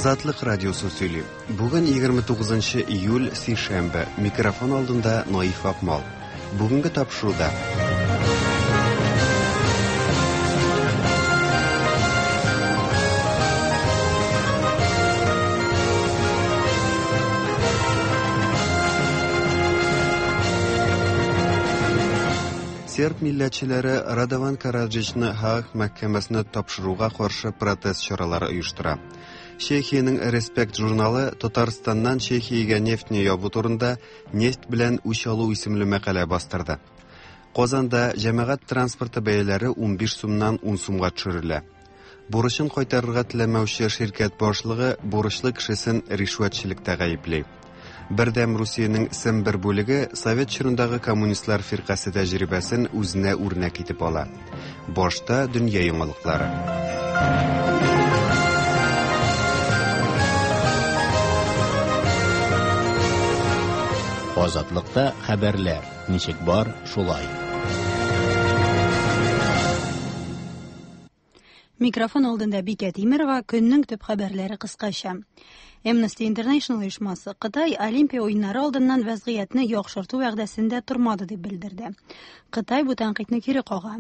Азатлык радиосы сөйли. Бүген 29 июль, сишәмбе. Микрофон алдында Наиф Акмал. Бүгенге тапшыруда Серб милләтчеләре Радован Караджичны Һааг мәхкәмәсенә тапшыруга каршы протест чаралары оештыра. Чехиянең Респект журналы Татарстаннан Чехиягә нефтьне ябу турында Нефть белән үч алу исемле мәкалә бастырды. Казанда җәмәгать транспорты бәяләре 15 сумнан 10 сумга төшерелә. Бурычын кайтарырга теләмәүче ширкәт башлыгы бурычлы кешесен ришвәтчелектә гаепли. Бердәм Русиянең Сембер бүлеге совет чорындагы коммунистлар фиркасе тәҗрибәсен үзенә үрнәк итеп ала. Башта дөнья яңалыклары. Азатлыкта хәбәрләр ничек бар, шулай. Микрофон алдында Бикә Тимерова, көннең төп хәбәрләре кыскача. Amnesty International оешмасы Кытай Олимпия уеннары алдыннан вәзгыятьне яхшырту вәгъдәсендә тормады дип белдерде. Кытай бу тәнкыйтьне кире кага.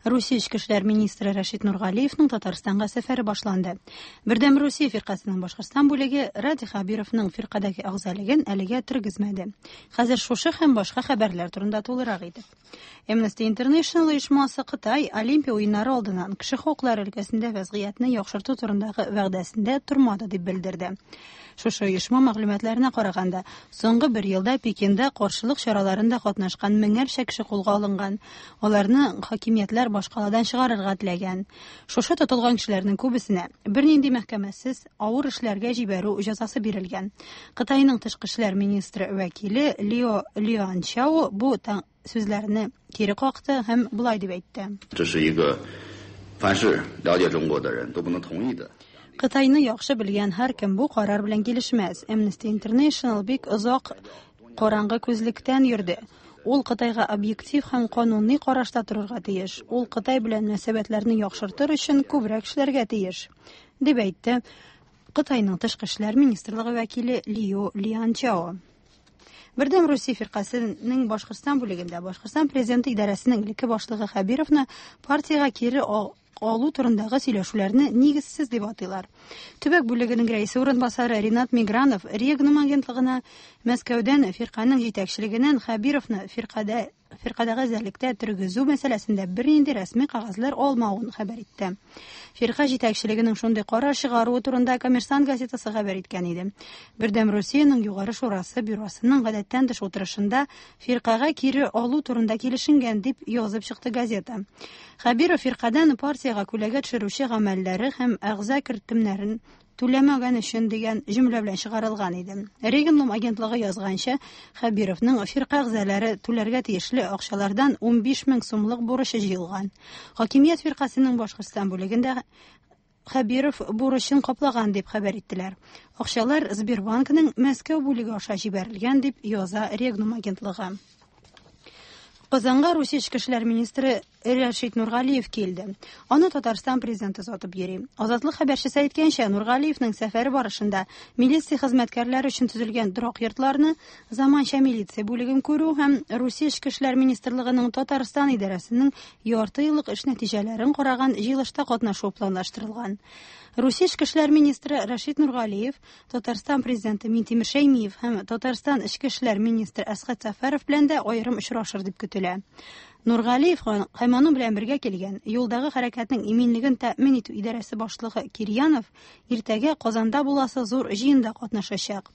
Русия эчке эшләр министры Рәшит Нургалиевның Татарстанга сәфәре башланды. Бердәм Русия фиркасының Башкортстан бүлеге Радий Хәбировның фиркадәге әгъзалыгын әлегә тергезмәде. Хәзер шушы һәм башка хәбәрләр турында тулырак итеп. Amnesty International оешмасы Кытай Олимпия уеннары алдыннан кеше хокуклары өлкәсендә вәзгыятьне яхшырту турындагы вәгъдәсендә тормады дип белдерде. Шушы оешма мәгълүматларына караганда, соңгы бер елда Пекинда каршылык чараларында катнашкан меңәрчә кеше кулга алынган. Аларны хакимиятләр башкаладан чыгарырга теләгән. Шушы тотылган кешеләрнең күбесенә бернинди мәхкәмәсез авыр эшләргә җибәрү җәзасы бирелгән. Кытайның тышкы эшләр министры вәкиле Лио Лианчао бу сүзләрне кире какты һәм болай дип әйтте. Кытайны яхшы белгән һәркем бу карар белән килешмәс. Amnesty International бик озак караңгы күзлектән йөрде. Ул Кытайга объектив һәм кануни карашта торырга тиеш. Ул Кытай белән мөнәсәбәтләрне яхшыртыр өчен күбрәк эшләргә тиеш, дип әйтте Кытайның тышкы эшләр министрлыгы вәкиле Лио Лианчао. Бердәм Русия фиркасының Башкортстан бүлегендә Башкортстан президенты идарәсенең элекке башлыгы Хәбировны партиягә кире алу турындагы сөйләшүләрне нигезсез дип атыйлар. Төбәк бүлегенең рәисе урынбасары Ринат Мигранов Регнум агентлыгына Мәскәүдән фирканең җитәкчелегеннән Хәбировны фиркадә фиркадәге әзерлектә тергезү мәсьәләсендә бернинди рәсми кәгазьләр алмавын хәбәр итте. Фирка җитәкчелегенең шундый карар чыгаруы турында Коммерсант газетасы хәбәр иткән иде. Бердәм Русиянең Югары шурасы бюросының гадәттән тыш утырышында фиркагә кире алу турында килешенгән дип язып чыкты газета. Хәбиров фиркадән партиягә күләгә төшерүче гамәлләре һәм әгъза кертемнәрен түләмәгән өчен дигән җөмлә белән чыгарылган иде. Регенлум агентлыгы язганча, Хәбировның фирка әгъзалары түләргә тиешле акчалардан 15 мең сумлык бурычы җыелган. Хакимият фиркасының Башкортстан бүлегендә Хәбиров бурычын каплаган дип хәбәр иттеләр. Акчалар Сбербанкның Мәскәү бүлеге аша җибәрелгән дип яза Регнум агентлыгы. Казанга Русия эчке эшләр министры Рәшит Нургалиев килде. Аны Татарстан президенты озатып йөри. Азатлык хәбәрчесе әйткәнчә, Нургалиевның сәфәре барышында милиция хезмәткәрләре өчен төзелгән торак йортларны, заманча милиция бүлеген күрү һәм Русия эчке эшләр министрлыгының Татарстан идарәсенең ярты еллык эш нәтиҗәләрен караган җыелышта катнашу планлаштырылган. Русия эчке эшләр министры Рәшит Нургалиев Татарстан президенты Минтимер Шәймиев һәм Татарстан эчке эшләр министры Әсхәт Сәфәров белән дә аерым очрашыр дип көтелә. Нургалиев һәм аның белән бергә килгән юлдагы хәрәкәтнең иминлеген тәэмин итү идарәсе башлыгы Кирьянов иртәгә Казанда буласы зур җыенда катнашачак.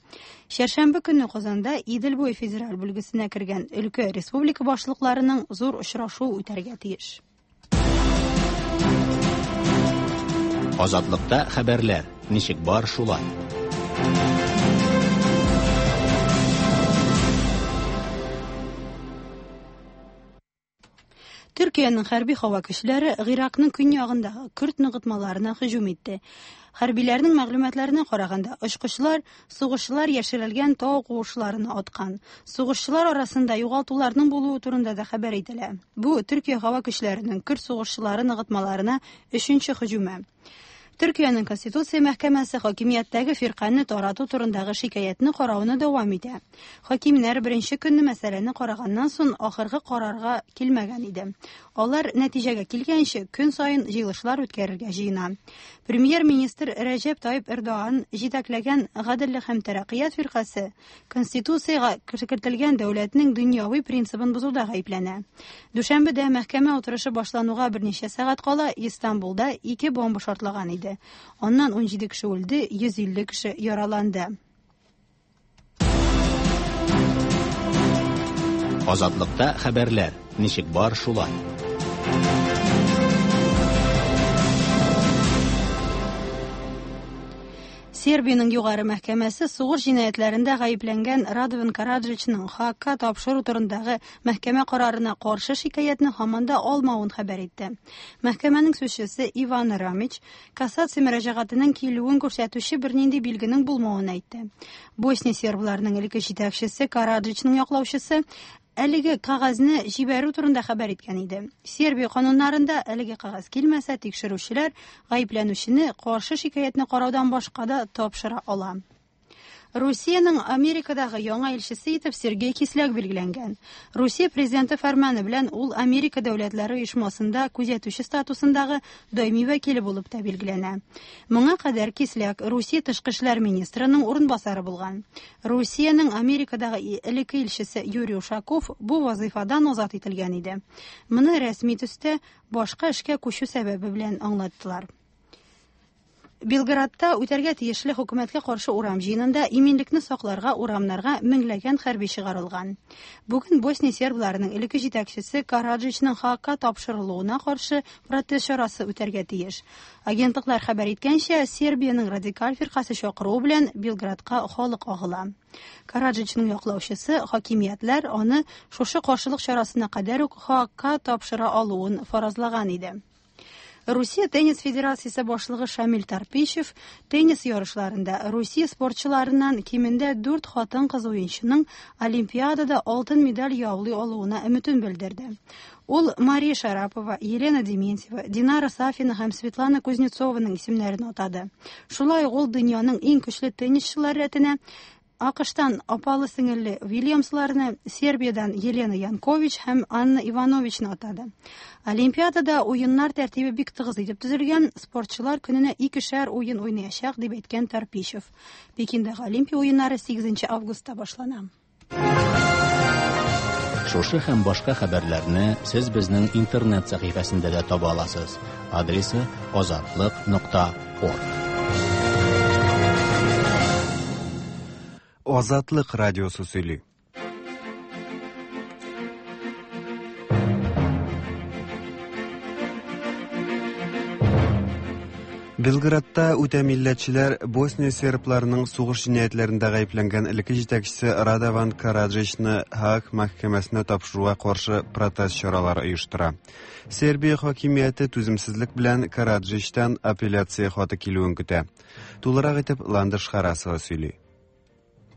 Чәршәмбе көнне Казанда Идел буе федераль бүлгесенә кергән өлкә республика башлыкларының зур очрашуы үтәргә тиеш. Азатлыкта хәбәрләр ничек бар шулай. Төркиянең хәрби һава көчләре Гыйракның көньягындагы көрд ныгытмаларына һөҗүм итте. Хәрбиләрнең мәгълүматларына караганда, очкычлар сугышчылар яшерелгән тау куышларына аткан. Сугышчылар арасында югалтуларның булуы турында да хәбәр ителә. Бу Төркия һава көчләренең көрд сугышчылары ныгытмаларына өченче һөҗүме. Төркиянең Конституция мәхкәмәсе хакимияттәге фиркане тарату турындагы шикаятьне карауны дәвам итә. Хакимнәр беренче көнне мәсьәләне караганнан соң ахыргы карарга килмәгән иде. Алар нәтиҗәгә килгәнче көн саен җыелышлар үткәрергә җыена. Премьер-министр Рәҗәп Тайип Эрдоган җитәкләгән Гаделлек һәм тәрәккыят фиркасе Конституциягә кертелгән дәүләтнең дөньяви принцибын бозуда гаепләнә. Дүшәмбедә мәхкәмә утырышы башлануга берничә сәгать кала Истанбулда ике бомба шартлаган иде. Аннан 17 кеше үлде, 150 кеше яраланды. Азатлыкта хәбәрләр ничек бар шулай. Сербиянең югары мәхкәмәсе сугыш җинаятьләрендә гаепләнгән Радован Караджичның ХАКка тапшыру турындагы мәхкәмә карарына каршы шикаятьне һаман да алмавын хәбәр итте. Мәхкәмәнең сүзчесе Иван Рамич кассация мөрәҗәгатенең килүен күрсәтүче бернинди билгенең булмавын әйтте. Босния сербларының элекке җитәкчесе Караджичның яклаучысы әлеге кәгазьне җибәрү турында хәбәр иткән иде. Сербия кануннарында әлеге кәгазь килмәсә, тикшерүчеләр гаепләнүчене каршы шикаятьне караудан башка да тапшыра ала. Русиянең Америкадагы яңа илчесе итеп Сергей Кисляк билгеләнгән. Русия президенты фәрманы белән ул Америка дәүләтләре оешмасында күзәтүче статусындагы даими вәкиле булып та билгеләнә. Моңа кадәр Кисляк Русия тышкы эшләр министрының урынбасары булган. Русиянең Америкадагы элекке илчесе Юрий Ушаков бу вазыйфадан азат ителгән иде. Моны рәсми төстә башка эшкә күчү сәбәбе белән аңлаттылар. Белградта үтәргә тиешле хөкүмәткә каршы урам җыенында иминлекне сакларга урамнарга меңләгән хәрби чыгарылган. Бүген Босния сербларының элекке җитәкчесе Караджичның ХАКка тапшырылуына каршы протест чарасы үтәргә тиеш. Агентлыклар хәбәр иткәнчә, Сербиянең радикаль фиркасе чакыруы белән Белградка халык агыла. Караджичның яклаучысы хакимиятләр аны шушы каршылык чарасына кадәр үк ХАКка тапшыра алуын фаразлаган иде. Русия теннис федерациясе башлыгы Шамил Тарпищев теннис ярышларында Русия спортчыларыннан кимендә 4 хатын-кыз уенчының Олимпиадада алтын медаль яулый алуына өметен белдерде. Ул Мария Шарапова, Елена Дементьева, Динара Сафина һәм Светлана Кузнецованың исемнәрен атады. Шулай ук ул дөньяның иң көчле теннисчылары рәтенә АКШтан апалы сеңелле Вильямсларны, Сербиядан Елена Янкович һәм Анна Ивановичны атады. Олимпиадада уеннар тәртибе бик тыгыз итеп төзелгән, спортчылар көненә икешәр уен уйнаячак, дип әйткән Тарпищев. Пекиндагы Олимпия уеннары 8 августта башлана. Шушы һәм башка хәбәрләрне сез безнең интернет сәхифәсендә дә таба аласыз. Адресы azatliq.org. Азатлык радиосы сөйли. Белградта үтә милләтчеләр Босния сербларының сугыш җинаятьләрендә гаепләнгән элекке җитәкчесе Радован Караджичны Һааг мәхкәмәсенә тапшыруга каршы протест чаралары оештыра. Сербия хакимияте түземсезлек белән Караджичтан апелляция хаты килүен көтә. Тулырак итеп Ландыш Харасова сөйли.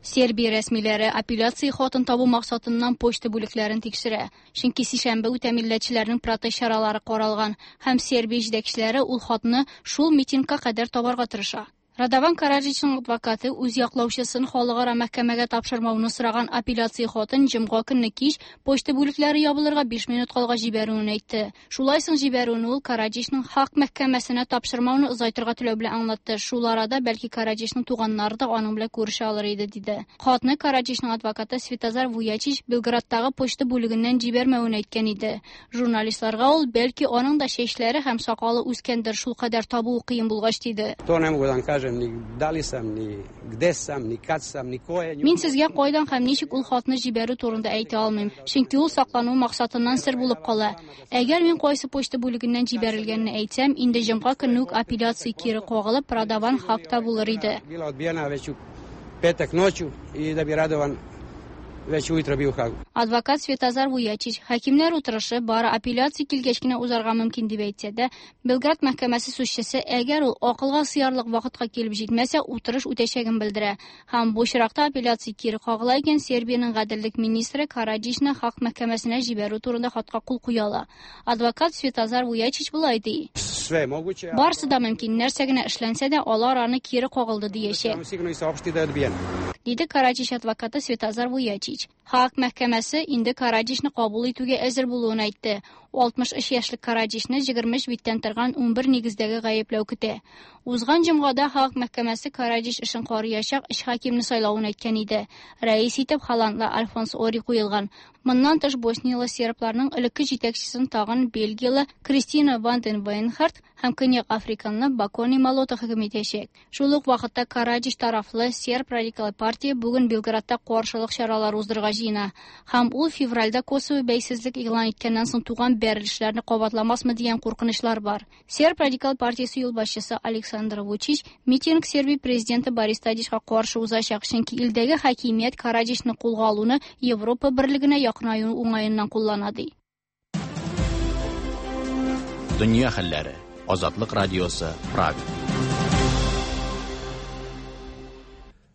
Сербия рәсмиләре апелляция хатын табу максатыннан почта бүлекләрен тикшерә. Чөнки сишәмбе үтә милләтчеләрнең протест чаралары каралган һәм Сербия җитәкчеләре ул хатны шул митингка кадәр табарга тырыша. Радован Караджичның адвокаты үз яклаучысын халыкара мәхкәмәгә тапшырмауны сораган апелляция хатын җомга көнне кич почта бүлекләре ябылырга 5 минут калгач җибәрүен әйтте. Шулай соң җибәрүен ул Караджичның хак мәхкәмәсенә тапшырмауны озайтырга теләү белән аңлатты. Шул арада бәлки Караджичның туганнары да аның белән күрешә алыр иде, диде. Хатны Караджичның адвокаты Светозар Вуячич Белградтагы почта бүлегеннән җибәрмәвен әйткән иде. Журналистларга ул бәлки аның да чәчләре һәм сакалы үскәндер, шул кадәр табуы кыен булгач, диде. To ne mogu da vam kažem ni da li sam, ni gde sam, ni kad sam, ni ko je. Мин сезгә кайдан һәм ничек ул хатны җибәрү турында әйтә алмыйм, чөнки ул саклану максатыннан сер булып кала. Әгәр мин кайсы почта бүлегеннән җибәрелгәнне әйтсәм, инде җомга көнне үк апелляция кире кагылып, Радован хакта булыр иде. Bila odbijena već u petak noću i da bi Radovan već ujutro bio u Hagu. Адвокат Светозар Вуячич хакимнәр утырышы бары апелляция килгәч кенә узарга мөмкин дип әйтсә дә, Белград мәхкәмәсе сүзчесе әгәр ул акылга сыярлык вакытка килеп җитмәсә, утырыш үтәчәген белдерә. Һәм бу очракта апелляция кире кагыла икән, Сербиянең гаделлек министры Караджичны Хак мәхкәмәсенә җибәрү турында хатка кул куя ала. Адвокат Светозар Вуячич болай ди. Sve je moguće. a Барысы да мөмкин, нәрсә генә эшләнсә дә, алар аны кире кагылды диячәк. Ćemo sigurno i saopštiti da je odbijeno. Диде Караджич адвокаты Светозар Вуячич. Хак мәхкәмәсе инде Караджичны кабул итүгә әзер булуын әйтте. 63 яшьлек Караджичны 23 биттән торган 11 нигездәге гаепләү көтә. Узган җомгада Хак мәхкәмәсе Караджич эшен карыячак өч хакимне сайлавын әйткән иде. Рәис итеп холландлы Альфонс Ори куелган. Моннан тыш босниялы сербларның элекке җитәкчесен тагын бельгиялы Кристина Ванден Вейнхарт һәм Көньяк Африканлы Бакони Малота хөкем итәчәк. Шул ук вакытта Караджич тарафлы серб радикал партия бүген Белградта каршылык чаралары уздырырга җыена. Һәм ул февральдә Косово бәйсезлек игълан иткәннән соң туган бәрелешләрне кабатламасмы дигән куркынычлар бар. Серб радикал партиясе юлбашчысы Александр Вучич митинг Сербия президенты Борис Тадичка каршы узачак, чөнки илдәге хакимият Караджичны кулга алуны Европа берлегенә якынаю уңаеннан куллана ди. Дөнья хәлләре. Азатлык радиосы, Прага.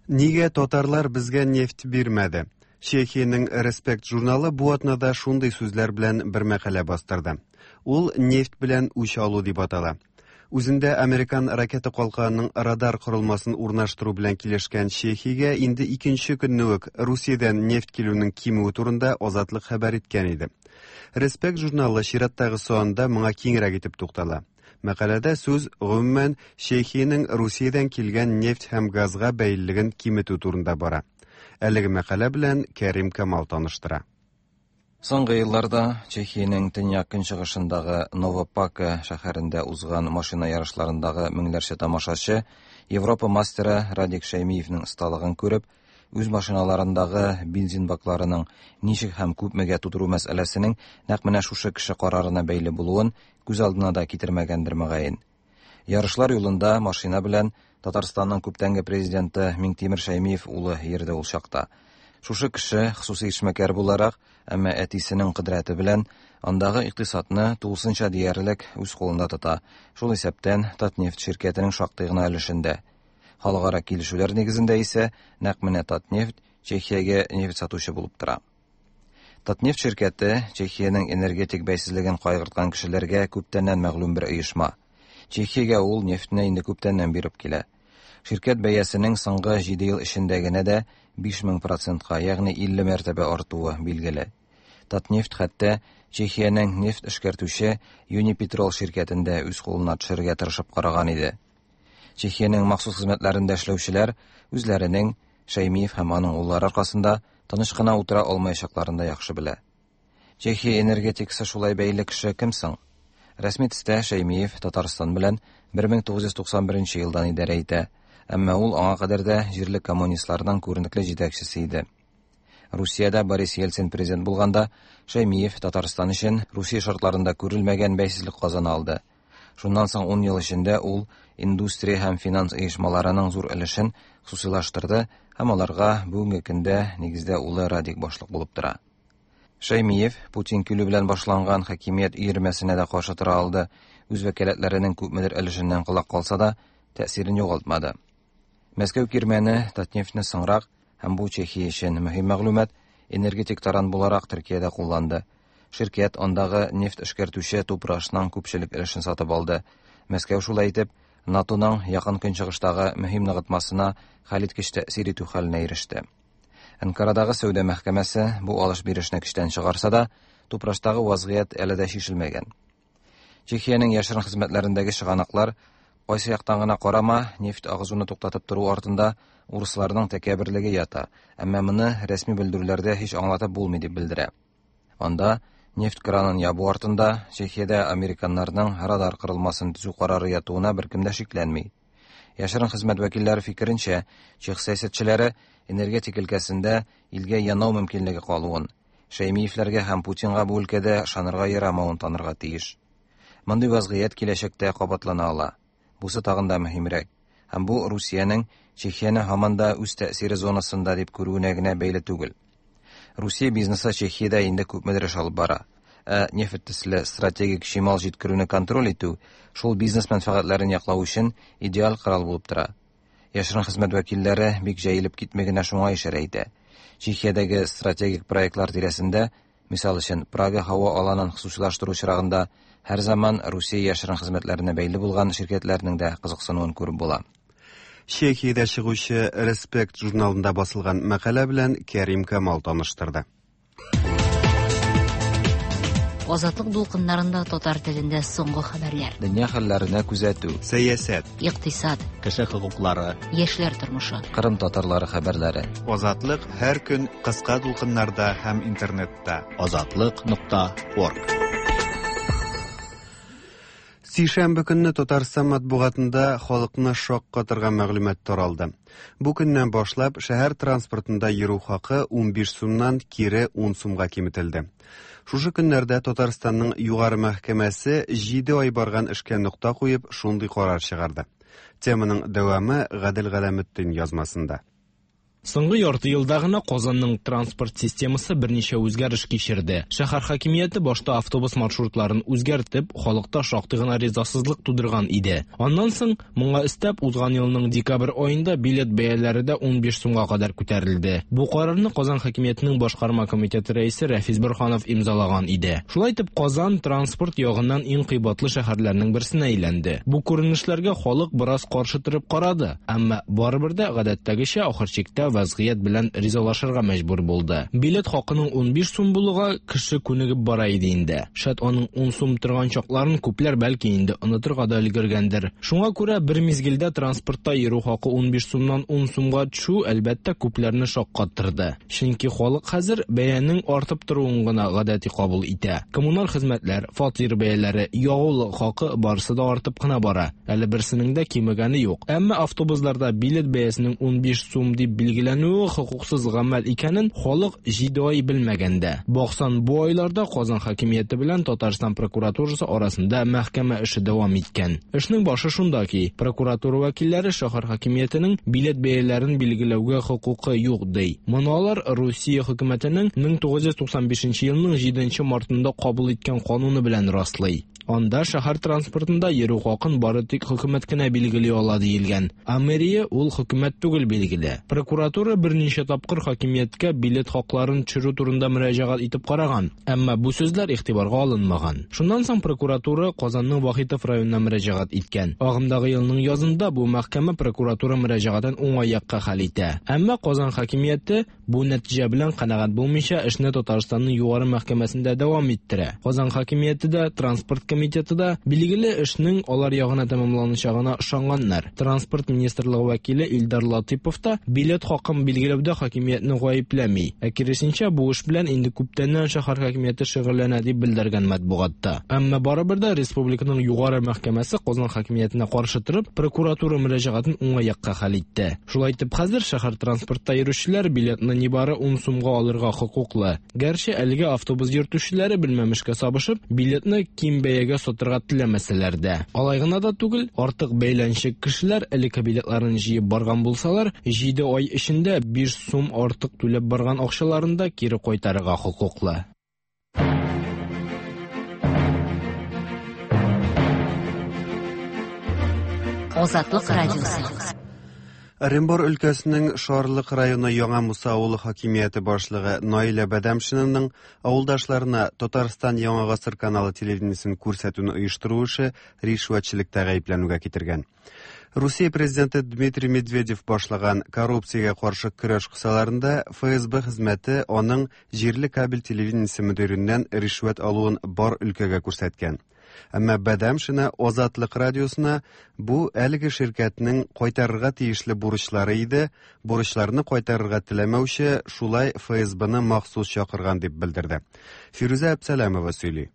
Нигә татарлар безгә нефть бирмәде? Чехиянең Респект журналы бу атнада шундый сүзләр белән бер мәкалә бастырды. Ул нефть белән үч алу дип атала. Үзендә американ ракета калканының радар корылмасын урнаштыру белән килешкән Чехиягә инде икенче көнне үк Русиядән нефть килүнең кимүе турында Азатлык хәбәр иткән иде. Респект журналы чираттагы санында моңа киңрәк итеп туктала. Мәкаләдә сүз гомумән Чехиянең Русиядән килгән нефть һәм газга бәйлелеген киметү турында бара. Әлеге мәкалә белән Кәрим Камал таныштыра. Соңгы елларда Чехиянең төньяк-көнчыгышындагы Новопака шәһәрендә узган машина ярышларындагы меңләрчә тамашачы Европа мастеры Радик Шәймиевнең осталыгын күреп, үз машиналарындагы бензин бакларының ничек һәм күпмегә тутыру мәсьәләсенең нәкъ менә шушы кеше карарына бәйле булуын күз алдына да китермәгәндер мөгаен. Ярышлар юлында машина белән Татарстанның күптәнге президенты Миңтимер Шәймиев улы йөрде ул чакта. Шушы кеше хосусый эшмәкәр буларак, әмма әтисенең кодрәте белән андагы икътисадны тулысынча диярлек үз кулында тота. Шул исәптән Татнефть ширкәтенең шактый гына өлешендә. Халыкара килешүләр нигезендә исә нәкъ менә Татнефть Чехиягә нефть сатучы булып тора. Татнефть ширкәте Чехиянең энергетик бәйсезлеген кайгырткан кешеләргә күптәннән мәгълүм бер оешма. Чехиягә ул нефтьне инде күптәннән биреп килә. Ширкәт бәясенең соңгы 7 ел эчендә генә дә 5000 процентка, ягъни 50 мәртәбә артуы билгеле. Татнефть хәтта Чехиянең нефть эшкәртүче Юнипетрол ширкәтен дә үз кулына төшерергә тырышып караган иде. Чехиянең махсус хезмәтләрендә эшләүчеләр үзләренең Шәймиев һәм аның уллары аркасында тыныч кына утыра алмаячакларын да яхшы белә. Чехия энергетикасы шулай бәйле кеше кем соң? Рәсми төстә Шәймиев Татарстан белән 1991 елдан идарә итә, әмма ул аңа кадәр дә җирле коммунистларның күренекле җитәкчесе иде. Русиядә Борис Ельцин президент булганда, Шәймиев Татарстан өчен Русия шартларында күрелмәгән бәйсезлек казана алды. Шуннан соң 10 ел эчендә ул индустрия һәм финанс оешмаларының зур өлешен хосусыйлаштырды һәм аларга бүгенге көндә нигездә улы Радик башлык булып тора. Шәймиев Путин килү белән башланган хакимият өермәсенә дә каршы тора алды. Үз вәкаләтләренең күпмедер өлешеннән колак калса да, тәэсирен югалтмады. Мәскәү кирмәне Татнефтьне соңрак һәм бу Чехия өчен мөһим мәгълүмат энергетик таран буларак Төркиядә кулланды. Ширкәт андагы нефть эшкәртүче Тупрашның күпчелек өлешен сатып алды. Мәскәү шулай итеп НАТОның якын көнчыгыштагы мөһим ныгытмасына хәлиткеч тәэсир итү хәленә иреште. Анкарадагы сәүдә мәхкәмәсе бу алыш-бирешне көчтән чыгарса да, Тупраштагы вазгыять әле дә чишелмәгән. Чехиянең яшерен хезмәтләрендәге чыганаклар кайсы яктан гына карама, нефть агызуны туктатып тору артында урысларның тәкәбберлеге ята, әмма моны рәсми белдерүләрдә һич аңлатып булмый дип белдерә. Анда нефть кранын ябу артында Чехиядә американнарның радар корылмасын төзү карары ятуына беркем дә шикләнми. Яшерен хезмәт вәкилләре фикеренчә, чех сәясәтчеләре энергетик өлкәсендә илгә янау мөмкинлеге калуын, Шәймиевләргә һәм Путинга бу өлкәдә ышанырга ярамавын танырга тиеш. Мондый вазгыять киләчәктә кабатлана ала. Бусы тагын да мөһимрәк. Һәм бу Русиянең Чехияне һаман да үз тәэсире зонасында дип күрүенә генә бәйле түгел. Русия бизнесы Чехиядә инде күпмедер эш алып бара. Ә нефть төсле стратегик чимал җиткерүне контроль итү шул бизнес мәнфәгатьләрен яклау өчен идеаль корал булып тора. Яшерен хезмәт вәкилләре бик җәелеп китми генә шуңа ишарә итә. Чехиядәге стратегик проектлар тирәсендә, мисал өчен, Прага һава аланын хосусыйлаштыру очрагында һәр заман Русия яшерен хезмәтләренә бәйле булган ширкәтләрнең дә кызыксынуын күреп була. Чехиядә чыгучы Респект журналында басылган мәкалә белән Кәрим Камал таныштырды. Азатлык дулкыннарында татар телендә соңгы хәбәрләр. Дөнья хәлләренә күзәтү. Сәясәт. Икътисад. Кеше хокуклары. Яшьләр тормышы. Кырым татарлары хәбәрләре. Азатлык һәр көн кыска дулкыннарда һәм интернетта. Азатлык.орг. Сишәмбе көнне Татарстан матбугатында халыкны шаккатырган мәгълүмат таралды. Бу көннән башлап шәһәр транспортында йөрү хакы 15 сумнан кире 10 сумга киметелде. Шушы көннәрдә Татарстанның Югары мәхкәмәсе 7 ай барган эшкә нокта куеп, шундый карар чыгарды. Теманың дәвамы Гадел Галәметдин язмасында. Соңгы ярты елда гына Казанның транспорт системасы берничә үзгәреш кичерде. Шәһәр хакимияте башта автобус маршрутларын үзгәртеп, халыкта шактый гына ризасызлык тудырган иде. Аннан соң моңа өстәп узган елның декабрь аенда билет бәяләре дә 15 сумга кадәр күтәрелде. Бу карарны Казан хакимиятенең башкарма комитеты рәисе Рәфис Борһанов имзалаган иде. Шулай итеп Казан транспорт ягыннан иң кыйбатлы шәһәрләрнең берсенә әйләнде. Бу күренешләргә халык бераз каршы торып карады, әмма барыбер дә гадәттәгечә ахыр чиктә вазгыять белән ризалашырга мәҗбүр булды. Билет хакының 15 сум булуга кеше күнегеп бара иде инде. Шәт аның 10 сум торган чакларын күпләр бәлки инде онытырга да өлгергәндер. Шуңа күрә бер мизгелдә транспортта йөрү хакы 15 сумнан 10 сумга төшү әлбәттә күпләрне шаккаттырды. Чөнки халык хәзер бәянең артып торуын гына гадәти кабул итә. Коммуналь хезмәтләр, фатир бәяләре, ягулык хакы барысы да артып кына бара. Әле берсенең дә кимегәне юк. Әмма автобусларда билет бәясенең 15 сум дип билгеләнүе хокуксыз гамәл икәнен халык 7 ай белмәгәндә. Баксан, бу айларда Казан хакимияте белән Татарстан прокуратурасы арасында мәхкәмә эше дәвам иткән. Эшнең башы шунда ки, прокуратура вәкилләре шәһәр хакимиятенең билет бәяләрен билгеләүгә хокукы юк ди. Моны алар Русия хөкүмәтенең 1995 елның 7 мартында кабул иткән кануны белән раслый. Анда шәһәр транспортында йөрү хакын бары тик хөкүмәт кенә билгели ала диелгән. Ә мэрия ул хөкүмәт түгел билгеле. Прокуратура берничә тапкыр хакимияткә билет хакларын төшерү турында мөрәҗәгать итеп караган, әмма бу сүзләр игътибарга алынмаган. Шуннан соң прокуратура Казанның Вахитов районына мөрәҗәгать иткән. Агымдагы елның язында бу мәхкәмә прокуратура мөрәҗәгатен уңай якка хәл итә. Әмма Казан хакимияте бу нәтиҗә белән канәгать булмыйча эшне Татарстанның югары мәхкәмәсендә дәвам иттерә. Казан хакимияте дә, транспорт комитеты да билгеле эшнең алар ягына тәмамланачагына ышанганнар. Транспорт министрлыгы вәкиле Илдар Латыпов та билет хакын билгеләүдә хакимиятне гаепләми. Ә киресенчә, бу эш белән инде күптәннән шәһәр хакимияте шөгыльләнә дип белдергән матбугатта. Әмма барыбер дә республиканың югары мәхкәмәсе Казан хакимиятенә каршы торып, прокуратура мөрәҗәгатен уңай якка хәл итте. Шулай итеп, хәзер шәһәр транспортта йөрүчеләр билетны нибары 10 сумга алырга хокуклы. Гәрчә әлегә автобус йөртүчеләре белмәмешкә сабышып, билетны ким бәягә сатырга теләмәсәләр дә. Алай гына да түгел, артык бәйләнчек кешеләр элекке билетларын җыеп барган булсалар, 7 ай эчендә 5 сум артык түләп барган акчаларын да кире кайтарырга хокуклы. Азатлык радиосы. Оренбур өлкәсенең Шарлык районы Яңа Муса авылы хакимияте башлыгы Наилә Бәдәмшинаның авылдашларына Татарстан Яңа гасыр каналы телевидениесен күрсәтүне оештыру эше ришвәтчелектә гаепләнүгә китергән. Русия президенты Дмитрий Медведев башлаган коррупциягә каршы көрәш кысаларында ФСБ хезмәте аның җирле кабель телевидениесе мөдиреннән ришвәт алуын бар өлкәгә күрсәткән. Әмма Бәдәмшина Азатлык радиосына бу әлеге ширкәтнең кайтарырга тиешле бурычлары иде, бурычларны кайтарырга теләмәүче шулай ФСБны махсус чакырган дип белдерде. Фирүзә Әпсәләмова сөйли.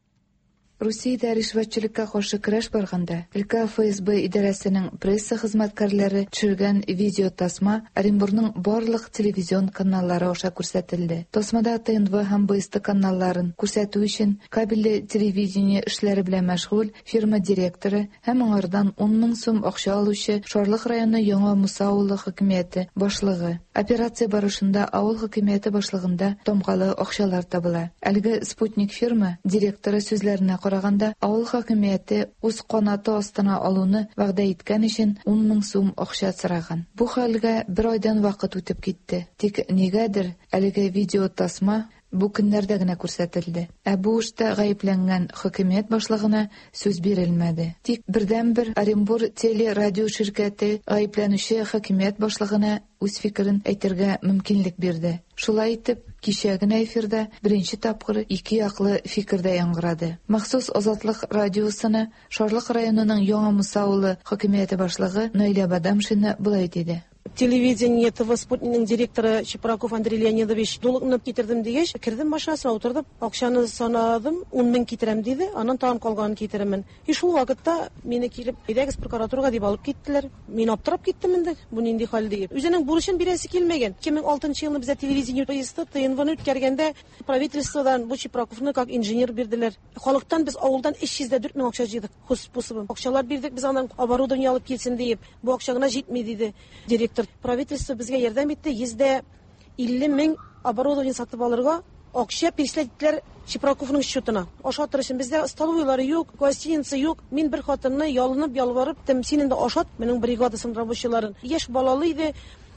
Русиядә ришвәтчелеккә каршы көрәш барганда, өлкә ФСБ идарәсенең пресса хезмәткәрләре төшергән видеотасма Оренбурның барлык телевизион каналлары аша күрсәтелде. Тасмада ТНВ һәм БСТ каналларын күрсәтү өчен кабельле телевидение эшләре белән мәшгуль фирма директоры һәм аңардан 10 мең сум акча алучы Шарлык районы Яңа Муса авылы хакимияте башлыгы. Операция барышында авыл хакимияте башлыгында тамгалы акчалар табыла. Әлеге Спутник фирма директоры сүзләренә караганда, авыл хакимияте үз канаты астына алуны вәгъдә иткән өчен 10 мең сум акча сораган. Бу хәлгә бер айдан вакыт үтеп китте. Тик нигәдер әлеге видеотасма бу көннәрдә генә күрсәтелде. Ә бу эштә гаепләнгән хакимият башлыгына сүз бирелмәде. Тик бердәнбер Оренбур телерадио ширкәте гаепләнүче хакимият башлыгына үз фикерен әйтергә мөмкинлек бирде. Шулай итеп, кичә генә эфирда беренче тапкыр ике яклы фикер дә яңгырады. Махсус Азатлык радиосына Шарлык районының Яңа Муса авылы хакимияте башлыгы Наилә Бадамшина болай диде. Телевидение ТВ Спутникның директоры Чепраков Андрей Леонидович долгны китердем дигәч, кердем машинасына утырдым, акчаны санадым, 10 мең китерәм диде, аннан тагын калганын китерермен. И шул вакытта мине килеп, әйдәгез прокуратурага дип алып киттеләр. Мин аптырап киттем инде, бу нинди хәл дип. Үзенең бурычын бирәсе килмәгән. 2006 елны бездә телевидение поезды ТНВны үткәргәндә правительстводан бу Чепраковны как инженер бирделәр. Халыктан без авылдан 304 мең акча җыйдык, хозспособом. Акчалар бирдек без аннан оборудование алып килсен диеп. Бу акча гына җитми диде директор. Правительство безгә ярдәм итте, 150 мең оборудование сатып алырга акча перечислять иттеләр Чепраковның счетына. Ашатыр өчен бездә столовыйлары юк, гостиница юк. Мин бер хатынны ялынып, ялварып, тем син инде ашат, минем бригадасын рабочийларын. Яшь балалы иде,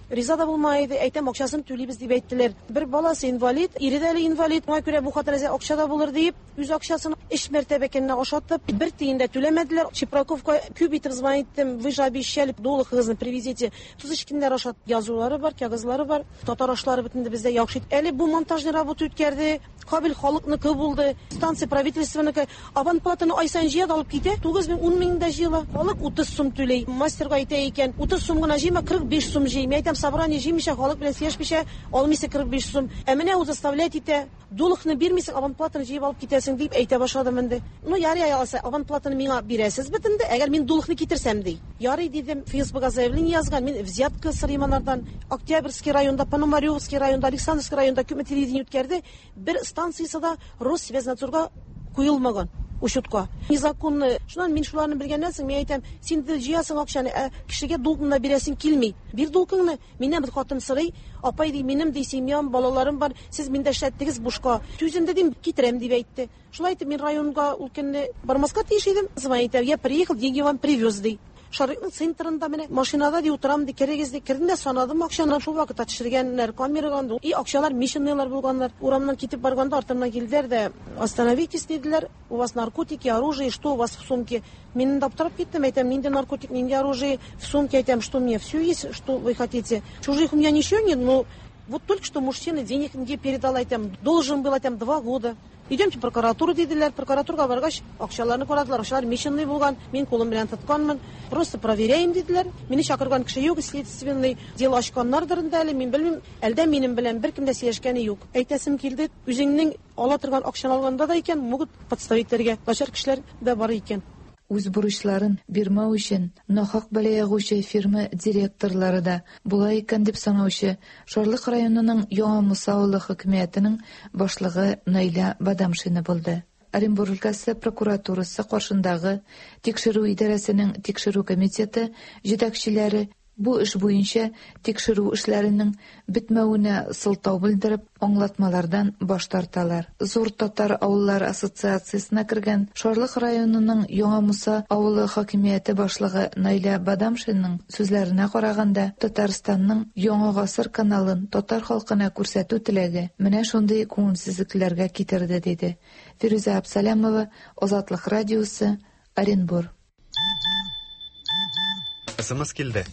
риза да булмай иде, әйтәм, акчасын түлибез дип әйттеләр. Бер баласы инвалид, ире дә әле инвалид. Шуңа күрә бу хатын әзер акча да булыр диеп, үз акчасын өч мәртәбә көненә ашатып, бер тиен дә түләмәделәр. Чепраковка күп итеп звонить иттем, вы же обещали, долг-ыгызны привезите. Туз көннәр ашат язулары бар, кәгазьләре бар. Татар ашлары бит инде бездә яхшы. Әле бу монтажный работа үткәрде. Кабель халыкныкы булды, станция правительственныкы. Абонплатаны ай саен җыя да алып китә. 9 мең, 10 мең дә җыела. Халык 30 сум түләй. Мастерга әйтә икән, 30 сум гына җыйма, 45 сум җый. Мин әйтәм, собрание җыймыйча, халык белән сөйләшмичә алмыйсың 45 сум. Ә менә ул заставлять итә. Долгны бирмисең, абонплатаны җыеп алып китәсең дип әйтә башладым инде. Ну, ярый алса, абонплатаны миңа бирәсез бит инде, әгәр мин долгны китерсәм ди. Ярый дидем, Фейсбукка заявление язган, мин взятка сорыйм анардан. Октябрьский районда, Пономаревский районда, Александровский районда күпме телевидение үткәрде, бер станциясе дә Россвязнадзорга куелмаган учетка. Незаконно. Шуннан мин шуларны белгәннән соң мин әйтәм, син дә җыясың акчаны, ә кешегә долгны да бирәсең килми. Бир долгыңны. Миннән бер хатын сорый, апай ди, минем ди семьям, балаларым бар, сез миндә эшләттегез бушка. Түземдә дим, китерәм дип әйтте. Шулай итеп мин районга ул көнне бармаска тиеш идем. Звонит, я приехал, деньги вам привез ди. Шарыкның центрында менә машинада ди утырам ди, керегез ди. Кердем дә санадым акчаны, шул вакытта төшергәннәр камерага. И акчалар мишенныйлар булганнар. Урамнан китеп барганда артымнан килделәр дә, остановитесь диделәр. У вас наркотики, оружие, что у вас в сумке? Мин инде аптырап киттем, әйтәм, нинди наркотик, нинди оружие в сумке, әйтәм, что мне все есть, что вы хотите. Чужих у меня ничего нет, но вот только что мужчина денег мне передал, әйтәм, должен был, әйтәм, 2 года. Идемте в прокуратуру, диделәр. Прокуратурага баргач, акчаларны карадылар. Акчалар мишенный булган. Мин кулым белән тотканмын. Просто проверяем, диделәр. Мине чакырган кеше юк, следственный дело ачканнардыр инде әле, мин белмим. Әлдә минем белән беркем дә сөйләшкәне юк. Әйтәсем килде, үзеңнең ала торган акчаны алганда да икән, могут подставить итәргә. Начар кешеләр дә бар икән. Үз бурычларын бирмәү өчен нахак бәла ягучы фирма директорлары да була икән дип санаучы Шарлык районының Яңа Муса авылы хакимиятенең башлыгы Наилә Бадамшина булды. Оренбург өлкәсе прокуратурасы каршындагы тикшерү идарәсенең тикшерү комитеты җитәкчеләре бу эш буенча тикшерү эшләренең бетмәвенә сылтау белдереп, аңлатмалардан баш тарталар. Зур татар авыллары ассоциациясенә кергән Шарлык районының Яңа Муса авылы хакимияте башлыгы Наилә Бадамшинаның сүзләренә караганда, Татарстанның Яңа гасыр каналын татар халкына күрсәтү теләге менә шундый күңелсезлекләргә китерде, диде. Фирүзә Абсалямова, Азатлык радиосы, Оренбур. СМС килде.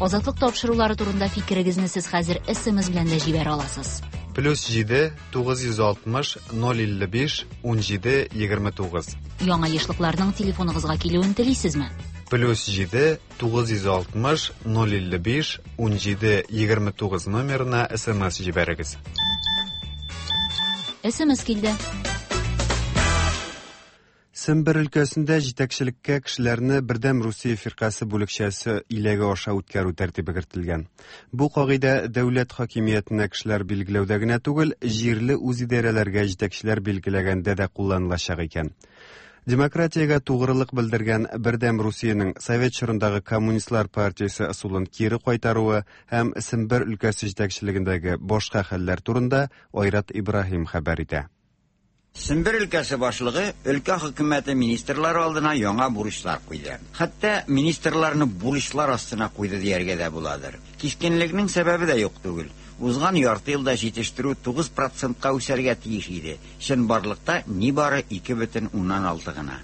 Азатлык тапшырулары турында фикерегезне сез хәзер СМС белән дә җибәрә аласыз. Плюс 7 960 055 17 29. Яңа ешлыкларның телефоныгызга килүен телисезме? Плюс 7 960 055 17 29 номерына СМС җибәрегез. СМС килде. Сембер өлкәсендә җитәкчелеккә кешеләрне Бердәм Русия фиркасе бүлекчәсе иләге аша үткәрү тәртибе кертелгән. Бу кагыйдә дәүләт хакимиятенә кешеләр билгеләүдә генә түгел, җирле үзидарәләргә җитәкчеләр билгеләгәндә дә кулланылачак икән. Демократиягә тугрылык белдергән Бердәм Русиянең совет чорындагы коммунистлар партиясе ысулын кире кайтаруы һәм Сембер өлкәсе җитәкчелегендәге башка хәлләр турында Айрат Ибраһим хәбәр итә. Сембер өлкәсе башлыгы өлкә хөкүмәте министрлары алдына яңа бурычлар куйды. Хәтта министрларны бурычлар астына куйды дияргә дә буладыр. Кискенлекнең сәбәбе дә юк түгел. Узган ярты елда җитештерү 9 процентка үсәргә тиеш иде. Чынбарлыкта нибары 2,6 гына.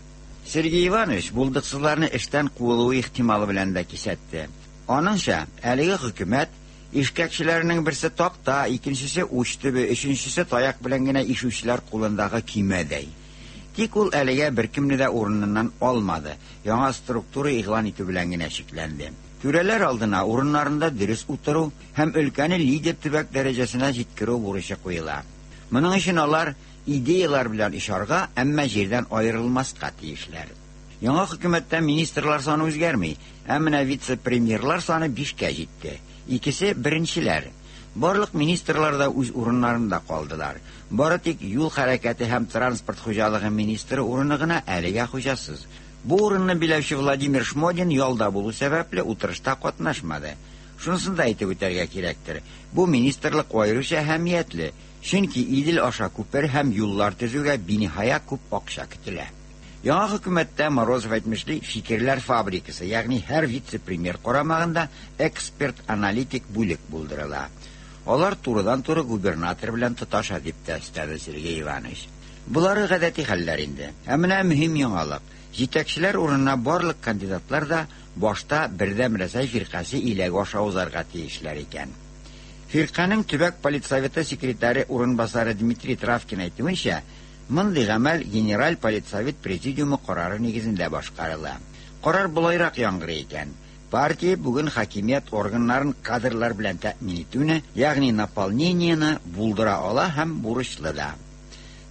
Сергей Иванович булдыксызларны эштән куылуы ихтималы белән дә кисәтте. Аныңча, әлеге хөкүмәт ишкәкчеләренең берсе такта, икенчесе уч төбе, өченчесе таяк белән генә ишүчеләр кулындагы көймәдәй. Тик ул әлегә беркемне дә урыныннан алмады. Яңа структура игълан итү белән генә чикләнде. Түрәләр алдына урыннарында дөрес утыру һәм өлкәне лидер төбәк дәрәҗәсенә җиткерү бурычы куела. Моның өчен алар идеялар белән очарга, әмма җирдән аерылмаска тиешләр. Яңа хөкүмәттә министрлар саны үзгәрми, ә менә вице-премьерлар саны 5кә җитте. Икесе беренчеләр. Барлык министрлар да үз урыннарында калдылар. Бары тик юл хәрәкәте һәм транспорт хуҗалыгы министры урыны гына әлегә хуҗасыз. Бу урынны биләүче Владимир Шмодин ялда булу сәбәпле утырышта катнашмады. Шунысын да әйтеп үтәргә кирәктер. Бу министрлык аеруча әһәмиятле, чөнки Идел аша күпер һәм юллар төзүгә биниһая күп акча көтелә. Яңа хөкүмәттә Морозов әйтмешли фикерләр фабрикасы, ягъни һәр вице-премьер карамагында эксперт-аналитик бүлек булдырыла. Алар турыдан-туры губернатор белән тоташа дип тә өстәде Сергей Иванович. Болары гадәти хәлләр инде. Ә менә мөһим яңалык. Җитәкчеләр урынына барлык кандидатлар да башта Бердәм Рәсәй фиркасе иләге аша узарга тиешләр икән. Фирканең төбәк политсоветы секретаре урынбасары Дмитрий Травкин әйтүенчә, мондый гамәл Генераль политсовет президиумы карары нигезендә башкарыла. Карар болайрак яңгырый икән. Партия бүген хакимият органнарын кадрлар белән тәэмин итүне, ягъни наполнениене булдыра ала һәм бурычлы да.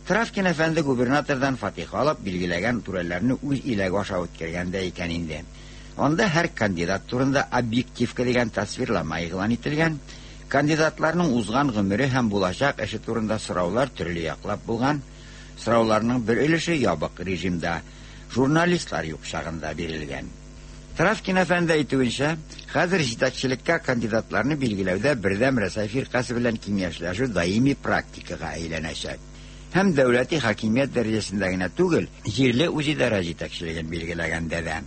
Травкин әфәнде губернатордан фатиха алып билгеләгән түрәләрне үз иләге аша үткәргән дә икән инде. Анда һәр кандидат турында объективка дигән тасвирлама игълан ителгән. Кандидатларның узган гомере һәм булачак эше турында сораулар төрле яклап булган. Сорауларның бер өлеше ябык режимда, журналистлар юк чагында бирелгән. Травкин әфәнде әйтүенчә, хәзер җитәкчелеккә кандидатларны билгеләүдә Бердәм Рәсәй фиркасе белән киңәшләшү даими практикага әйләнәчәк. Һәм дәүләти хакимият дәрәҗәсендә генә түгел, җирле үзидарә җитәкчелеген билгеләгәндә дә.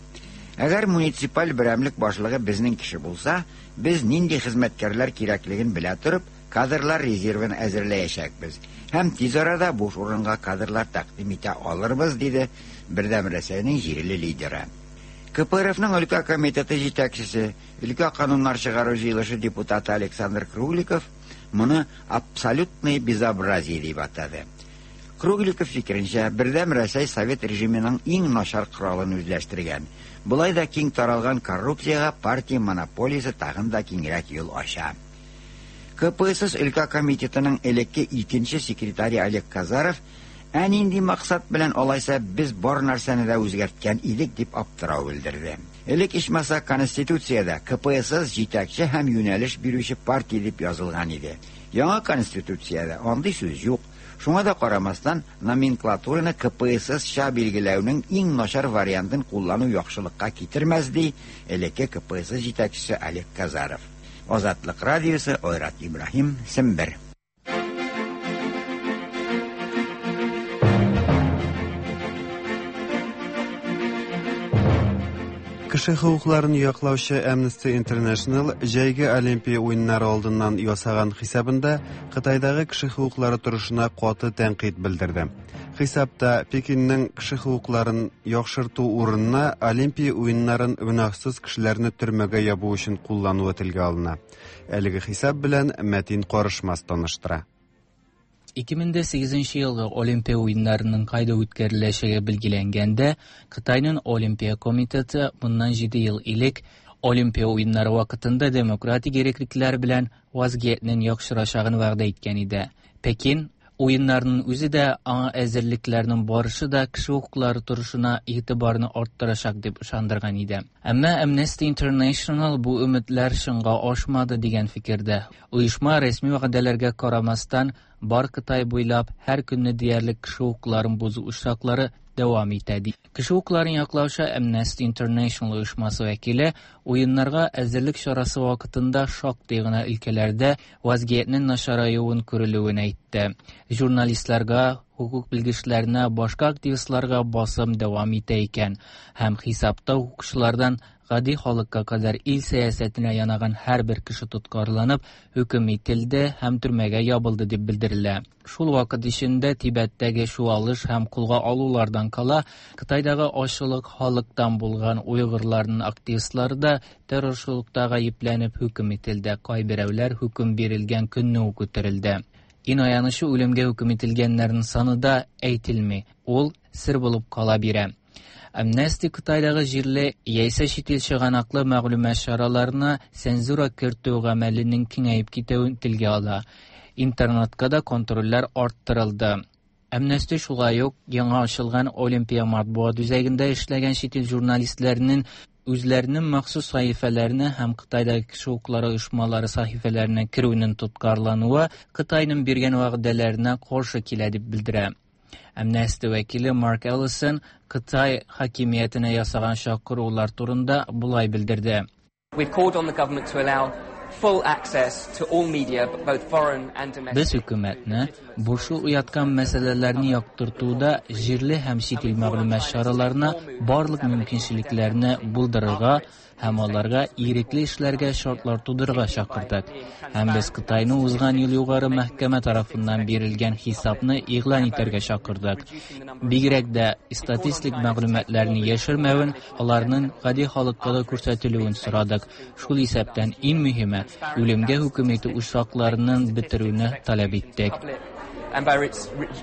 Әгәр муниципаль берәмлек башлыгы безнең кеше булса, без нинди хезмәткәрләр кирәклеген белә торып, кадрлар резервын әзерләячәкбез. Һәм тиз арада буш урынга кадрлар тәкъдим итә алырбыз, диде Бердәм Рәсәйнең җирле лидеры. КПРФның өлкә комитеты җитәкчесе, өлкә кануннар чыгару җыелышы депутаты Александр Кругликов моны абсолютное безобразие дип атады. Кругликов фикеренчә, Бердәм Рәсәй совет режимының иң начар коралын үзләштергән. Болай да киң таралган коррупциягә партия монополиясе тагын да киңрәк юл ача. КПСС өлкә комитетының элекке икенче секретаре Олег Казаров ә нинди максат белән алайса без бар нәрсәне дә үзгәрткән идек дип аптырау белдерде. Элек ичмаса Конституциядә КПСС җитәкче һәм юнәлеш бирүче партия дип язылган иде. Яңа Конституциядә андый сүз юк. Шуңа да карамастан, номенклатураны КПСС-ча билгеләүнең иң начар вариантын куллану яхшылыкка китермәс, ди элекке КПСС җитәкчесе Олег Казаров. Азатлык радиосы Айрат Ибраһим, Сембер. Кеше хокукларын яклаучы Amnesty International җәйге Олимпия уеннары алдыннан ясаган хисабында Кытайдагы кеше хокуклары торышына каты тәнкыйть белдерде. Хисапта Пекинның кеше хокукларын яхшырту урынына Олимпия уеннарын гөнаһсыз кешеләрне төрмәгә ябу өчен куллануы телгә алына. Әлеге хисап белән Мәтин Карышмас таныштыра. 2008 елгы Олимпия уеннарының кайда үткәреләчәге билгеләнгәндә, Кытайның Олимпия комитеты моннан 7 ел элек Олимпия уеннары вакытында демократик иреклекләр белән вазгыятьнең яхшырачагын вәгъдә иткән иде. Пекин Уеннарның үзе дә, аңа әзерлекләрнең барышы да кеше хокуклары торышына игътибарны арттырачак дип ышандырган иде. Әмма Amnesty International бу өметләр чынга ашмады дигән фикердә. Оешма рәсми вәгъдәләргә карамастан, бар Кытай буйлап һәр көнне диярлек кеше хокукларын бозу очраклары дәвам итә ди. Кеше хокукларын яклаучы Amnesty International оешмасы вәкиле уеннарга әзерлек чарасы вакытында шактый гына өлкәләрдә вазгыятьнең начараюын күрелүен әйтте. Журналистларга, хокук белгечләренә, башка активистларга басым дәвам итә икән һәм хисапта хокукчылардан гади халыкка кадәр ил сәясәтенә янаган һәрбер кеше тоткарланып, хөкем ителде һәм төрмәгә ябылды дип белдерелә. Шул вакыт эчендә Тибеттәге чуалыш һәм кулга алулардан кала, Кытайдагы ачлык халыктан булган уйгырларның активистлары да террорчылыкта гаепләнеп хөкем ителде. Кайберәүләр хөкем бирелгән көнне үк үтерелде. Иң аянычы үлемгә хөкем ителгәннәрнең саны да әйтелми. Ул сер булып кала бирә. Амнести Кытайдагы җирле яисә чит ил чыганаклы мәгълүмат чараларына цензура кертү гамәленең киңәеп китүен телгә ала. Интернетка да контрольләр арттырылды. Амнести шулай ук яңа ачылган Олимпия матбугат үзәгендә эшләгән чит ил журналистларының үзләренең махсус сәхифәләренә һәм Кытайдагы кеше хокуклары оешмалары сәхифәләренә керүенең тоткарлануы Кытайның биргән вәгъдәләренә каршы килә дип белдерә. Амнести вәкиле Марк Эллисон Кытай хакимиятенә ясаган чакырулар турында болай белдерде. We've called on the government to allow full access to all media, both foreign and domestic. Без хөкүмәтне борчу уяткан мәсьәләләрне яктыртуда җирле һәм чит ил мәгълүмат чараларына барлык мөмкинчелекләрне булдырырга һәм аларга ирекле эшләргә шартлар тудырырга чакырдык. Һәм без Кытайны узган ел югары мәхкәмә тарафыннан бирелгән хисапны игълан итәргә чакырдык. Бигрәк дә статистик мәгълүматларны яшермәвен, аларның гади халыкка да күрсәтелүен сорадык. Шул исәптән иң мөһиме, үлемгә хөкем итү очракларының бетерүне таләп иттек. And by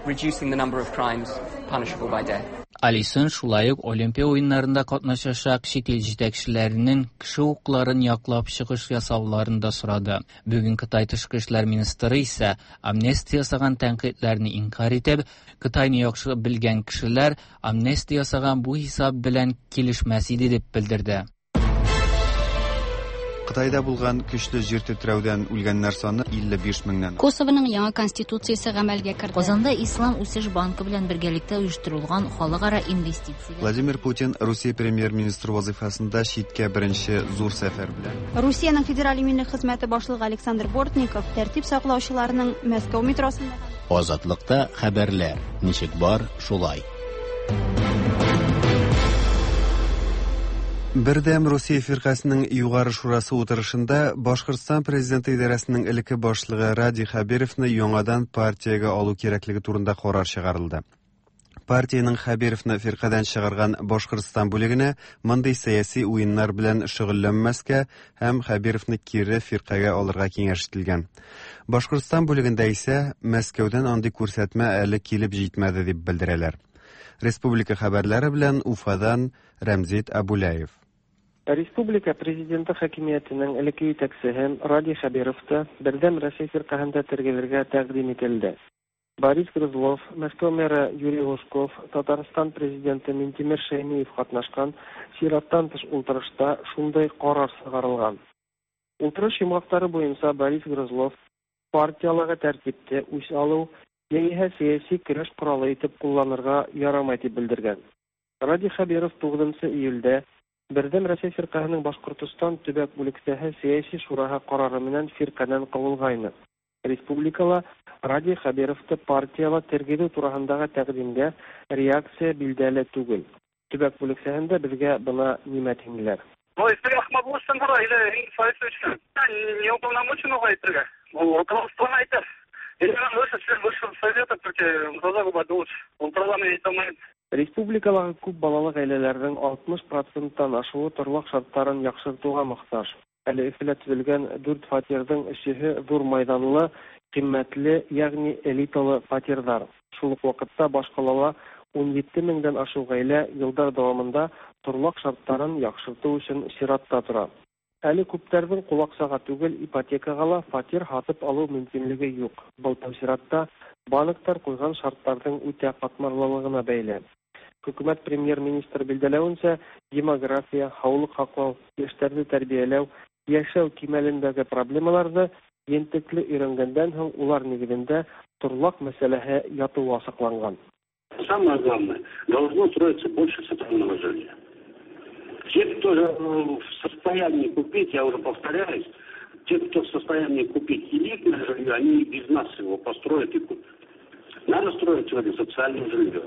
reducing the number of crimes punishable by death. Алисон шулай ук Олимпия уеннарында катнашачак чит ил җитәкчеләренең кеше хокукларын яклап чыгыш ясауларын да сорады. Бүген Кытай тышкы эшләр министры исә амнистия ясаган тәнкыйтьләрне инкарь итеп, Кытайны яхшы белгән кешеләр амнистия ясаган бу хисап белән килешмәс иде дип белдерде. Кытайда булган көчле җир тетрәүдән үлгәннәр саны 55 меңнән. Косованың яңа конституциясе гамәлгә керде. Казанда Ислам үсеш банкы белән бергәлектә оештырылган халыкара инвестицияләр. Владимир Путин Русия премьер-министры вазифасында читкә беренче зур сәфәр белән. Русиянең федераль иминлек хезмәте башлыгы Александр Бортников тәртип саклаучыларның Мәскәү метросында Азатлыкта хәбәрләр ничек бар, шулай. Бердәм Русия фиркасының Югары шурасы утырышында Башкортстан президенты идарәсенең элекке башлыгы Радий Хәбировны яңадан партиягә алу кирәклеге турында карар чыгарылды. Партиянең Хәбировны фиркадән чыгарган Башкортстан бүлегенә мондый сәяси уеннар белән шөгыльләнмәскә һәм Хәбировны кире фиркагә алырга киңәш ителгән. Башкортстан бүлегендә исә Мәскәүдән андый күрсәтмә әле килеп җитмәде дип белдерәләр. Республика хәбәрләре белән Уфадан Рәмзит Абуляев. Республика президенты хакимиятенең элекке җитәкчесе Радий Хәбировты Бердәм Россия фиркаһында тергезергә тәкъдим ителде. Борис Грызлов, Мәскәү мэры Юрий Лужков, Татарстан президенты Минтимер Шәймиев катнашкан чираттан тыш утырышта шундый карар чыгарылган. Утырыш йомгаклары буенча Борис Грызлов партияләге тәртипте үч алу яисә сәяси көрәш коралы итеп кулланырга ярамай дип белдергән. Радий Хәбиров 9 июльдә Бердәм Россия фиркаһының Башкортостан төбәк бүлексәһе сәяси шураһы карары менән фирканан кавылгайны. Республикала Радий Хәбировты партияла тергезү тураһындагы тәкъдимгә реакция билдәле түгел. Төбәк бүлексәһендә безгә бына нимә тиңләр. Республикалағы күп балалы гаиләләрнең 60%-тан ашуы торлак шартларын яхшыртуга мохтаҗ. Әле Өфөлә төзелгән 4 фатирның өчеһе зур майданлы, кыйммәтле, ягъни элиталы фатирлар. Шул ук вакытта башкалала 17 меңдән ашу гаилә еллар дәвамында торлак шартларын яхшырту өчен чиратта тора. Әле күпләрнең кул түгел, ипотекага ла фатир һатып алу мөмкинлеге юк. Был тәү чиратта банктар куйган шартларның үтә катмарлылыгына бәйле. Хөкүмәт премьер-министры билгеләвенчә, демография, һаулык һаклау, яшьләрне тәрбияләү, яшәү кимәлендәге проблемаларны ентекле өйрәнгәндән һуң улар нигезендә торлак мәсьәләһе ятуы асыкланган. Самое главное, должно строиться больше социального жилья. Те, кто в состоянии купить, я уже повторяюсь, те, кто в состоянии купить элитное жилье, они и без нас его построят и купят. Надо строить сегодня социальное жилье.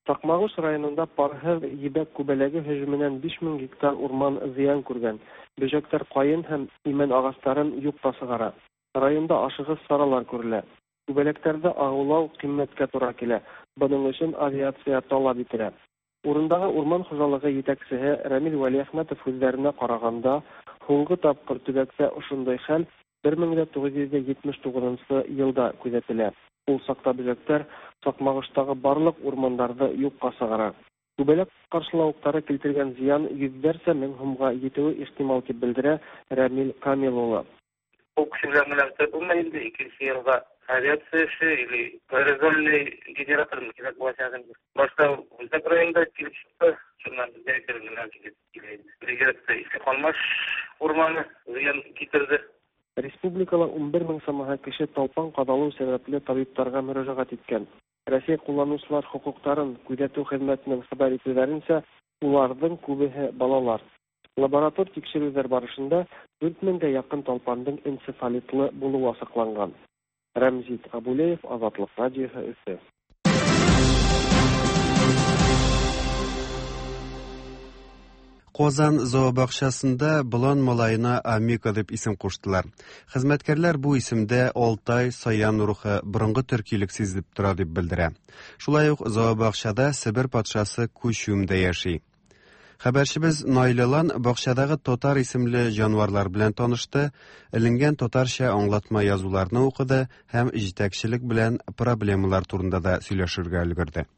Чакмагыш районында парһыҙ ебәк күбәләге һөжүменән 5000 гектар урман зыян күргән. Бөжәктәр ҡайын һәм имән ағастарын юҡҡа сығара. Районда ашығыс саралар күрелә. Күбәләктәрҙе ағыулау ҡиммәткә тура килә. Бының өсөн авиация талап ителә. Урындағы урман хужалығы етәксеһе Рәмил Вәлиәхмәтов һүҙҙәренә ҡарағанда, һуңғы тапҡыр төбәктә ошондай хәл 1979 йылда күҙәтелә. Ул саҡта бөжәктәр Саҡмағыштағы барлыҡ урмандарҙы юҡҡа сығара. Күбәләк ҡаршылауыҡтары килтергән зыян йөҙҙәрсә мең һумға етеүе ихтимал, тип белдерә Рәмил Камил улы. Ул кеше белән генә бетереп булмай инде, икенче елга авиация эше или аэрозольный генератор кирәк булачак инде. Башта Үзәк районда килеп чыкты, шуннан безгә әкрен генә килеп килә инде. Бигрәк тә Иске Калмаш урманы зыян китерде. Республикала 11 мең самаһы кеше талпан ҡаҙалыу сәбәпле табиптарға мөрәжәғәт иткән. Рәсәй ҡулланыусылар хоҡуҡтарын күҙәтеү хеҙмәтенең хәбәр итеүҙәренсә, уларҙың күбеһе балалар. Лаборатор тикшереүҙәр барышында 4 меңгә яҡын талпандың энцефалитлы булыуы асыҡланған. Рәмзит Абулеев, Азатлыҡ радиоһы, Өфө. Казан зообакчасында болан малаена Амика дип исем куштылар. Хезмәткәрләр бу исемдә Алтай, Саян рухы, борынгы төркилек сизелеп тора дип белдерә. Шулай ук зообакчада Себер патшасы Күчүм дә яши. Хәбәрчебез Наилә Лан бакчадагы татар исемле җанварлар белән танышты, эленгән татарча аңлатма язуларны укыды һәм җитәкчелек белән проблемалар турында да сөйләшергә өлгерде.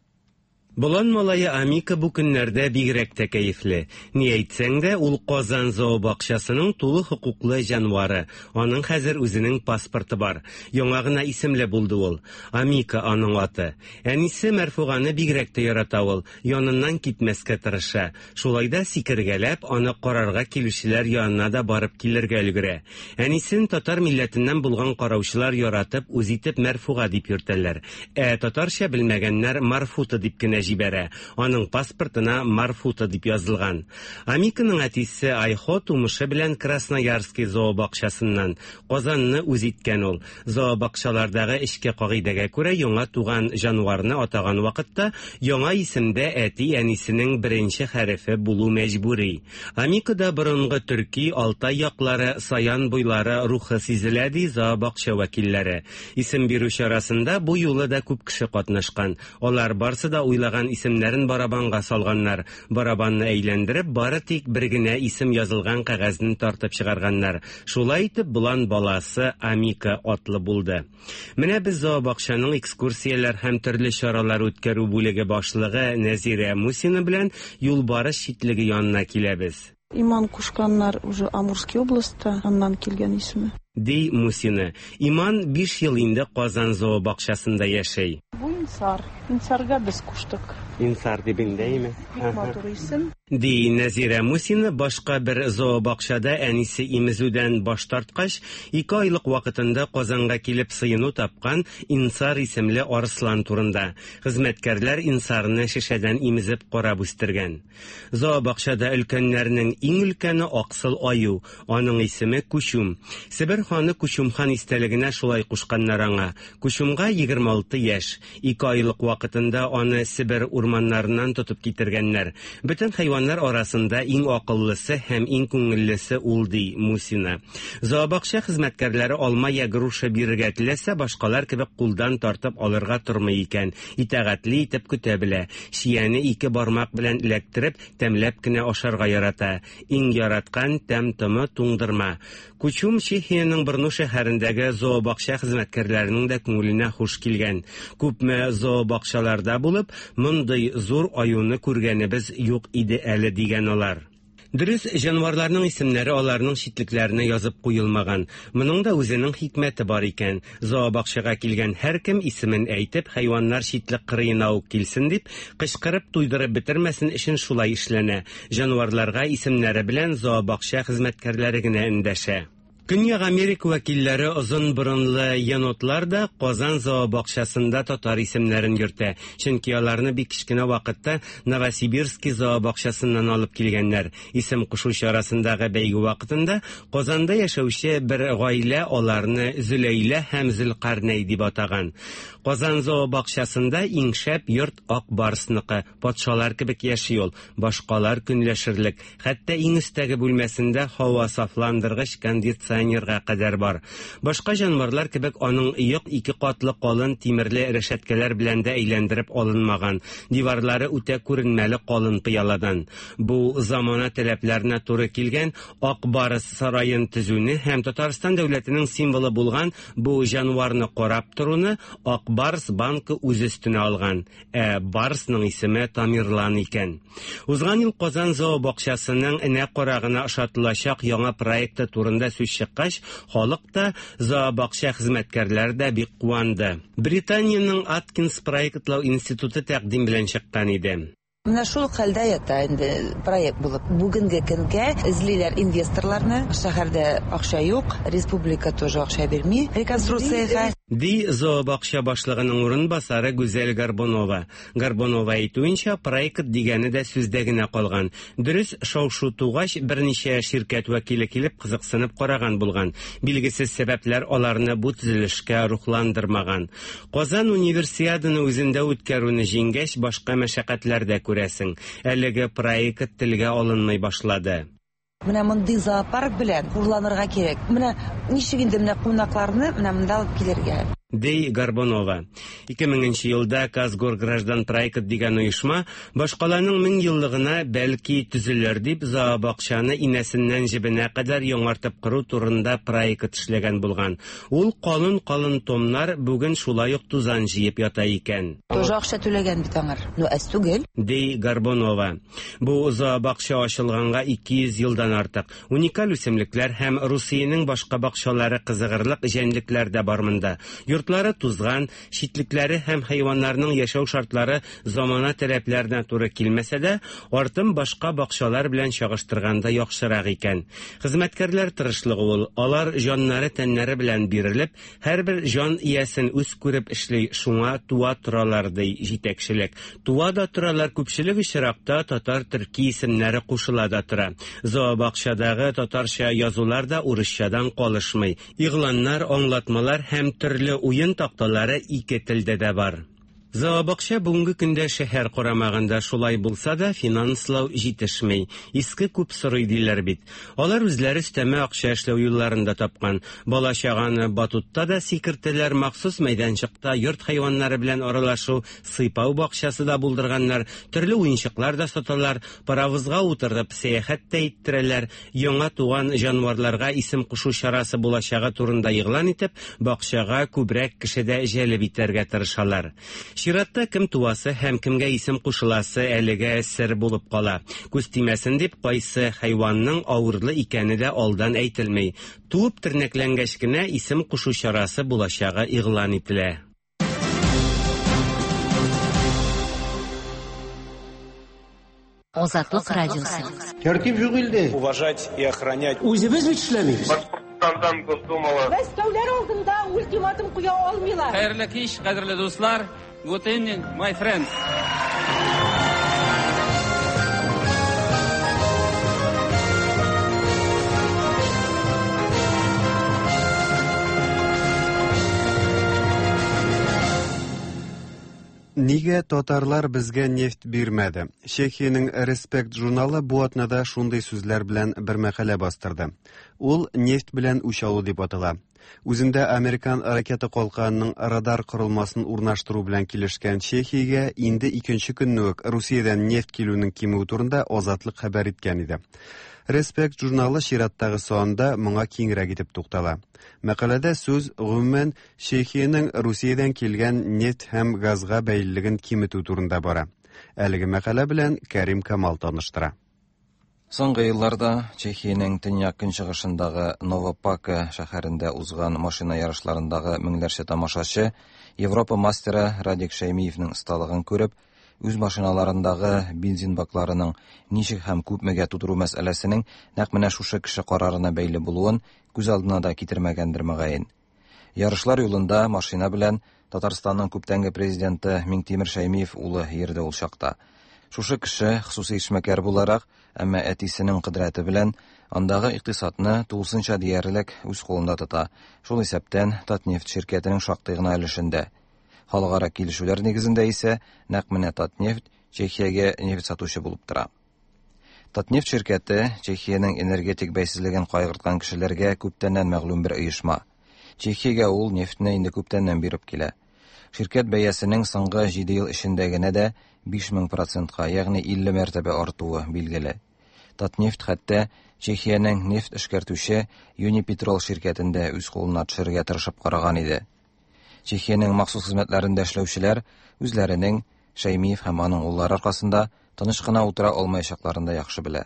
Болан малае Амика бу көннәрдә бигрәк тә кәефле. Ни әйтсәң дә, ул Казан зообакчасының тулы хокуклы җанвары. Аның хәзер үзенең паспорты бар. Яңа гына исемле булды ул. Амика аның аты. Әнисе Мәрфуганы бигрәк тә ярата ул. Яныннан китмәскә тырыша. Шулай да сикергәләп, аны карарга килүчеләр янына да барып килергә өлгерә. Әнисен татар милләтеннән булган караучылар яратып, үз итеп Мәрфуга дип йөртәләр. Ә татарча белмәгәннәр Марфута дип кенә җибәрә. Аның паспортына Марфута дип язылган. Амиканың әтисе Айхо тумышы белән Красноярский зообакчасыннан. Казанны үз иткән ул. Зообакчалардагы эчке кагыйдәгә күрә яңа туган җанварны атаган вакытта яңа исемдә әти-әнисенең беренче хәрефе булу мәҗбүри. Амикада борынгы төрки, Алтай яклары, Саян буйлары рухы сизелә, ди зообакча вәкилләре. Исем бирү чарасында бу юлы да күп кеше катнашкан. Алар барсы да уйлаган исемнәрен барабанга салганнар. Барабанны әйләндереп, бары тик бер генә исем язылган кәгазьне тартып чыгарганнар. Шулай итеп, болан баласы Амика атлы булды. Менә без зообакчаның экскурсияләр һәм төрле чаралар үткәрү бүлеге башлыгы Нәзирә Мусина белән юлбарыс читлеге янына киләбез. Иман кушканнар уже Амурский областьта, аннан килгән исеме. Ди Мусина. Иман 5 ел инде Казан зообакчасында яши. Бу Инсар. Инсарга без куштык. Инсар дип инде, Бик матур исем. Ди Нәзирә Мусина башка бер зообакчада әнисе имезүдән баш тарткач, 2 айлык вакытында Казанга килеп сыену тапкан Инсар исемле арыслан турында. Хезмәткәрләр Инсарны шешәдән имезеп карап үстергән. Зообакчада өлкәннәрнең иң өлкәне аксыл аю, аның исеме Күчүм. Себер ханы Күчүм хан истәлегенә шулай кушканнар аңа. Күчүмгә 26 яшь. 2 айлык вакытында аны Себер урманнарыннан тотып китергәннәр. Бөтен хайваннар арасында иң акыллысы һәм иң күңеллесе ул, ди Мусина. Зообакча хезмәткәрләре алма я груша бирергә теләсә, башкалар кебек кулдан тартып алырга тормый икән. Итагатьле итеп көтә белә. Чияне ике бармак белән эләктереп, тәмләп кенә ашарга ярата. Иң яраткан тәм-томы туңдырма. Күчүм Чехиянең Брно шәһәрендәге зообакча хезмәткәрләренең дә күңеленә хуш килгән. Күпме зообакчаларда булып, мондый зур аюны күргәнебез юк иде әле, дигән алар. Дөрес, җанварларның исемнәре аларның читлекләренә язып куелмаган. Моның да үзенең хикмәте бар икән. Зообакчага килгән һәркем исемен әйтеп, хайваннар читлек кырыена ук килсен дип, кычкырып туйдырып бетермәсен өчен шулай эшләнә. Җанварларга исемнәре белән зообакча хезмәткәрләре генә эндәшә. Көньяк Америка вәкилләре озын борынлы енотлар да Казан зообакчасында татар исемнәрен йөртә, чөнки аларны бик кечкенә вакытта Новосибирский зообакчасыннан алып килгәннәр. Исем кушу чарасындагы бәйге вакытында Казанда яшәүче бер гаилә аларны Зөләйлә һәм Зөлкарнәй дип атаган. Казан зообакчасында иң шәп йорт Ак Барсныкы, патшалар кебек яши ул, башкалар көнләшерлек. Хәтта иң өстәге бүлмәсендә һава сафландыргыч кондиционерга кадәр бар. Башка җанварлар кебек аның йорт ике катлы калын тимерле рәшәткәләр белән дә әйләндереп алынмаган, диварлары үтә күренмәле калын пыяладан. Бу замана таләпләренә туры килгән Ак Барс сараен төзүне һәм Татарстан дәүләтенең символы булган бу җанварны карап торуны Ак Барс банкы үз өстенә алган. Ә барсның исеме Тамерлан икән. Узган ел Казан зообакчасының энә карагына ошатылачак яңа проекты турында сүз чыккач, халык та, зообакча хезмәткәрләре дә бик куанды. Британиянең Аткинс проектлау институты тәкъдим белән чыккан иде. Менә шул хәлдә ята инде проект булып. Бүгенге көнгә эзлиләр инвесторларны. Шәһәрдә акча юк, республика тоже акча бирми реконструкциягә. Ди зообакча башлыгының урынбасары Гүзәл Горбунова. Горбунова әйтүенчә, проект дигәне дә сүздә генә калган. Дөрес, шау-шу тугач, берничә ширкәт вәкиле килеп кызыксынып караган булган. Билгесез сәбәпләр аларны бу төзелешкә рухландырмаган. Казан Универсиаданы үзендә үткәрүне җиңгәч, башка мәшәкатьләр дә күрәсең. Әлеге проект телгә алынмый башлады. Менә мондый зоопарк белән хурланырга кирәк. Менә ничек инде менә кунакларны менә монда алып килергә. Ди Горбунова. 2000 нче елда Казгоргражданпроект дигән оешма башкаланың 1000 еллыгына бәлки төзелер дип зообакчаны инәсеннән җебенә кадәр яңартып кору турында проект эшләгән булган. Ул калын-калын томнар бүген шулай ук тузан җыеп ята икән. Тоже акча түләгән бит аңар. Ну, әз түгел. Ди Горбунова. Бу зообакча ачылганга 200 елдан артык. Уникаль үсемлекләр һәм Русиянең башка бакчалары кызыгырлык җәнлекләр дә бар монда. Йортлары тузган, читлекләре һәм хайваннарның яшәү шартлары замана таләпләренә туры килмәсә дә, артым башка бакчалар белән чагыштырганда яхшырак икән. Хезмәткәрләр тырышлыгы ул, алар җаннары-тәннәре белән бирелеп, һәрбер җан иясен үз күреп эшли, шуңа туа торалар, ди җитәкчелек. Туа да торалар, күпчелек очракта татар-төрки исемнәре кушыла да тора. Зообакчадагы татарча язулар да урысчадан калышмый. Игъланнар, аңлатмалар һәм төрле уен такталары ике телдә дә бар. Зообакча бүгенге көндә шәһәр карамагында, шулай булса да, финанслау җитешми. Иске күп сорый диләр бит. Алар үзләре өстәмә акча эшләү юлларын да тапкан. Бала-чаганы батутта да сикертәләр, махсус мәйданчыкта йорт хайваннары белән аралашу, сыйпау бакчасы да булдырганнар, төрле уенчыклар да саталар, паровозга утыртып сәяхәт тә иттерәләр, яңа туган җанварларга исем кушу чарасы булачагы турында игълан итеп, бакчага күбрәк кеше дә җәлеп итәргә тырышалар. Чиратта кем туасы һәм кемгә исем кушыласы әлегә сер булып кала. Күз тимәсен дип, кайсы хайванның авырлы икәне дә алдан әйтелми. Туып тернәкләнгәч кенә исем кушу чарасы булачагы игълан ителә. Азатлык радиосы. Тәртип юк илдә. Уважать и охранять. Үзебез бит эшләмибез. Башкортстандан Госдумалы. Мәскәүләр алдында ультиматум куя алмыйлар. Хәерле кич, кадерле дуслар. Good evening, my friends. Нигә татарлар безгә нефть бирмәде? Чехиянең Респект журналы бу атнада шундый сүзләр белән бер мәкалә бастырды. Ул нефть белән үч алу дип атала. Үзендә американ ракета калканының радар корылмасын урнаштыру белән килешкән Чехиягә инде икенче көнне үк Русиядән нефть килүнең кимүе турында Азатлык хәбәр иткән иде. Респект журналы чираттагы санында моңа киңрәк итеп туктала. Мәкаләдә сүз, гомумән, Чехиянең Русиядән килгән нефть һәм газга бәйлелеген киметү турында бара. Әлеге мәкалә белән Кәрим Камал таныштыра. Соңгы елларда Чехиянең төньяк-көнчыгышындагы Новопака шәһәрендә узган машина ярышларындагы меңләрчә тамашачы Европа мастеры Радик Шәймиевнең осталыгын күреп, үз машиналарындагы бензин бакларының ничек һәм күпмегә тутыру мәсьәләсенең нәкъ менә шушы кеше карарына бәйле булуын күз алдына да китермәгәндер мөгаен. Ярышлар юлында машина белән Татарстанның күптәнге президенты Миңтимер Шәймиев улы йөрде ул чакта. Шушы кеше, хосусый эшмәкәр буларак, әмма әтисенең кодрәте белән, андагы икътисадны тулысынча диярлек үз кулында тота, шул исәптән Татнефть ширкәтенең шактый гына өлешен дә. Халыкара килешүләр нигезендә исә нәкъ менә Татнефть Чехиягә нефть сатучы булып тора. Татнефть ширкәте Чехиянең энергетик бәйсезлеген кайгырткан кешеләргә күптәннән мәгълүм бер оешма. Чехиягә ул нефтьне инде күптәннән биреп килә. Ширкәт бәясенең соңгы җиде ел эчендә генә дә 5000 процентка, ягъни 50 мәртәбә артуы билгеле. Татнефть хәтта Чехиянең нефть эшкәртүче Юнипетрол ширкәтен дә үз кулына төшерергә тырышып караган иде. Чехиянең махсус хезмәтләрендә эшләүчеләр үзләренең Шәймиев һәм аның уллары аркасында тыныч кына утыра алмаячакларын да яхшы белә.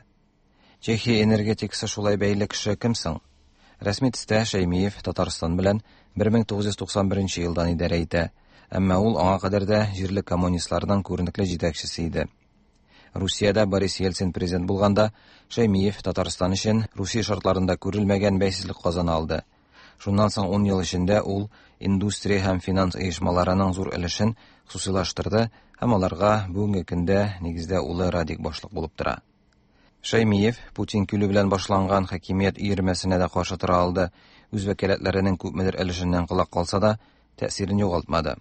Чехия энергетикасы шулай бәйле кеше кем соң? Рәсми төстә Шәймиев Татарстан белән 1991 елдан идарә итә, әмма ул аңа кадәр дә җирле коммунистларның күренекле җитәкчесе иде. Русиядә Борис Ельцин президент булганда, Шәймиев Татарстан өчен Русия шартларында күрелмәгән бәйсезлек казана алды. Шуннан соң ун ел эчендә ул индустрия һәм финанс оешмаларының зур өлешен хосусыйлаштырды һәм аларга бүгенге көндә нигездә улы Радик башлык булып тора. Шәймиев Путин килү белән башланган хакимият өермәсенә дә каршы тора алды, үз вәкаләтләренең күпмедер өлешеннән колак калса да, тәэсирен югалтмады.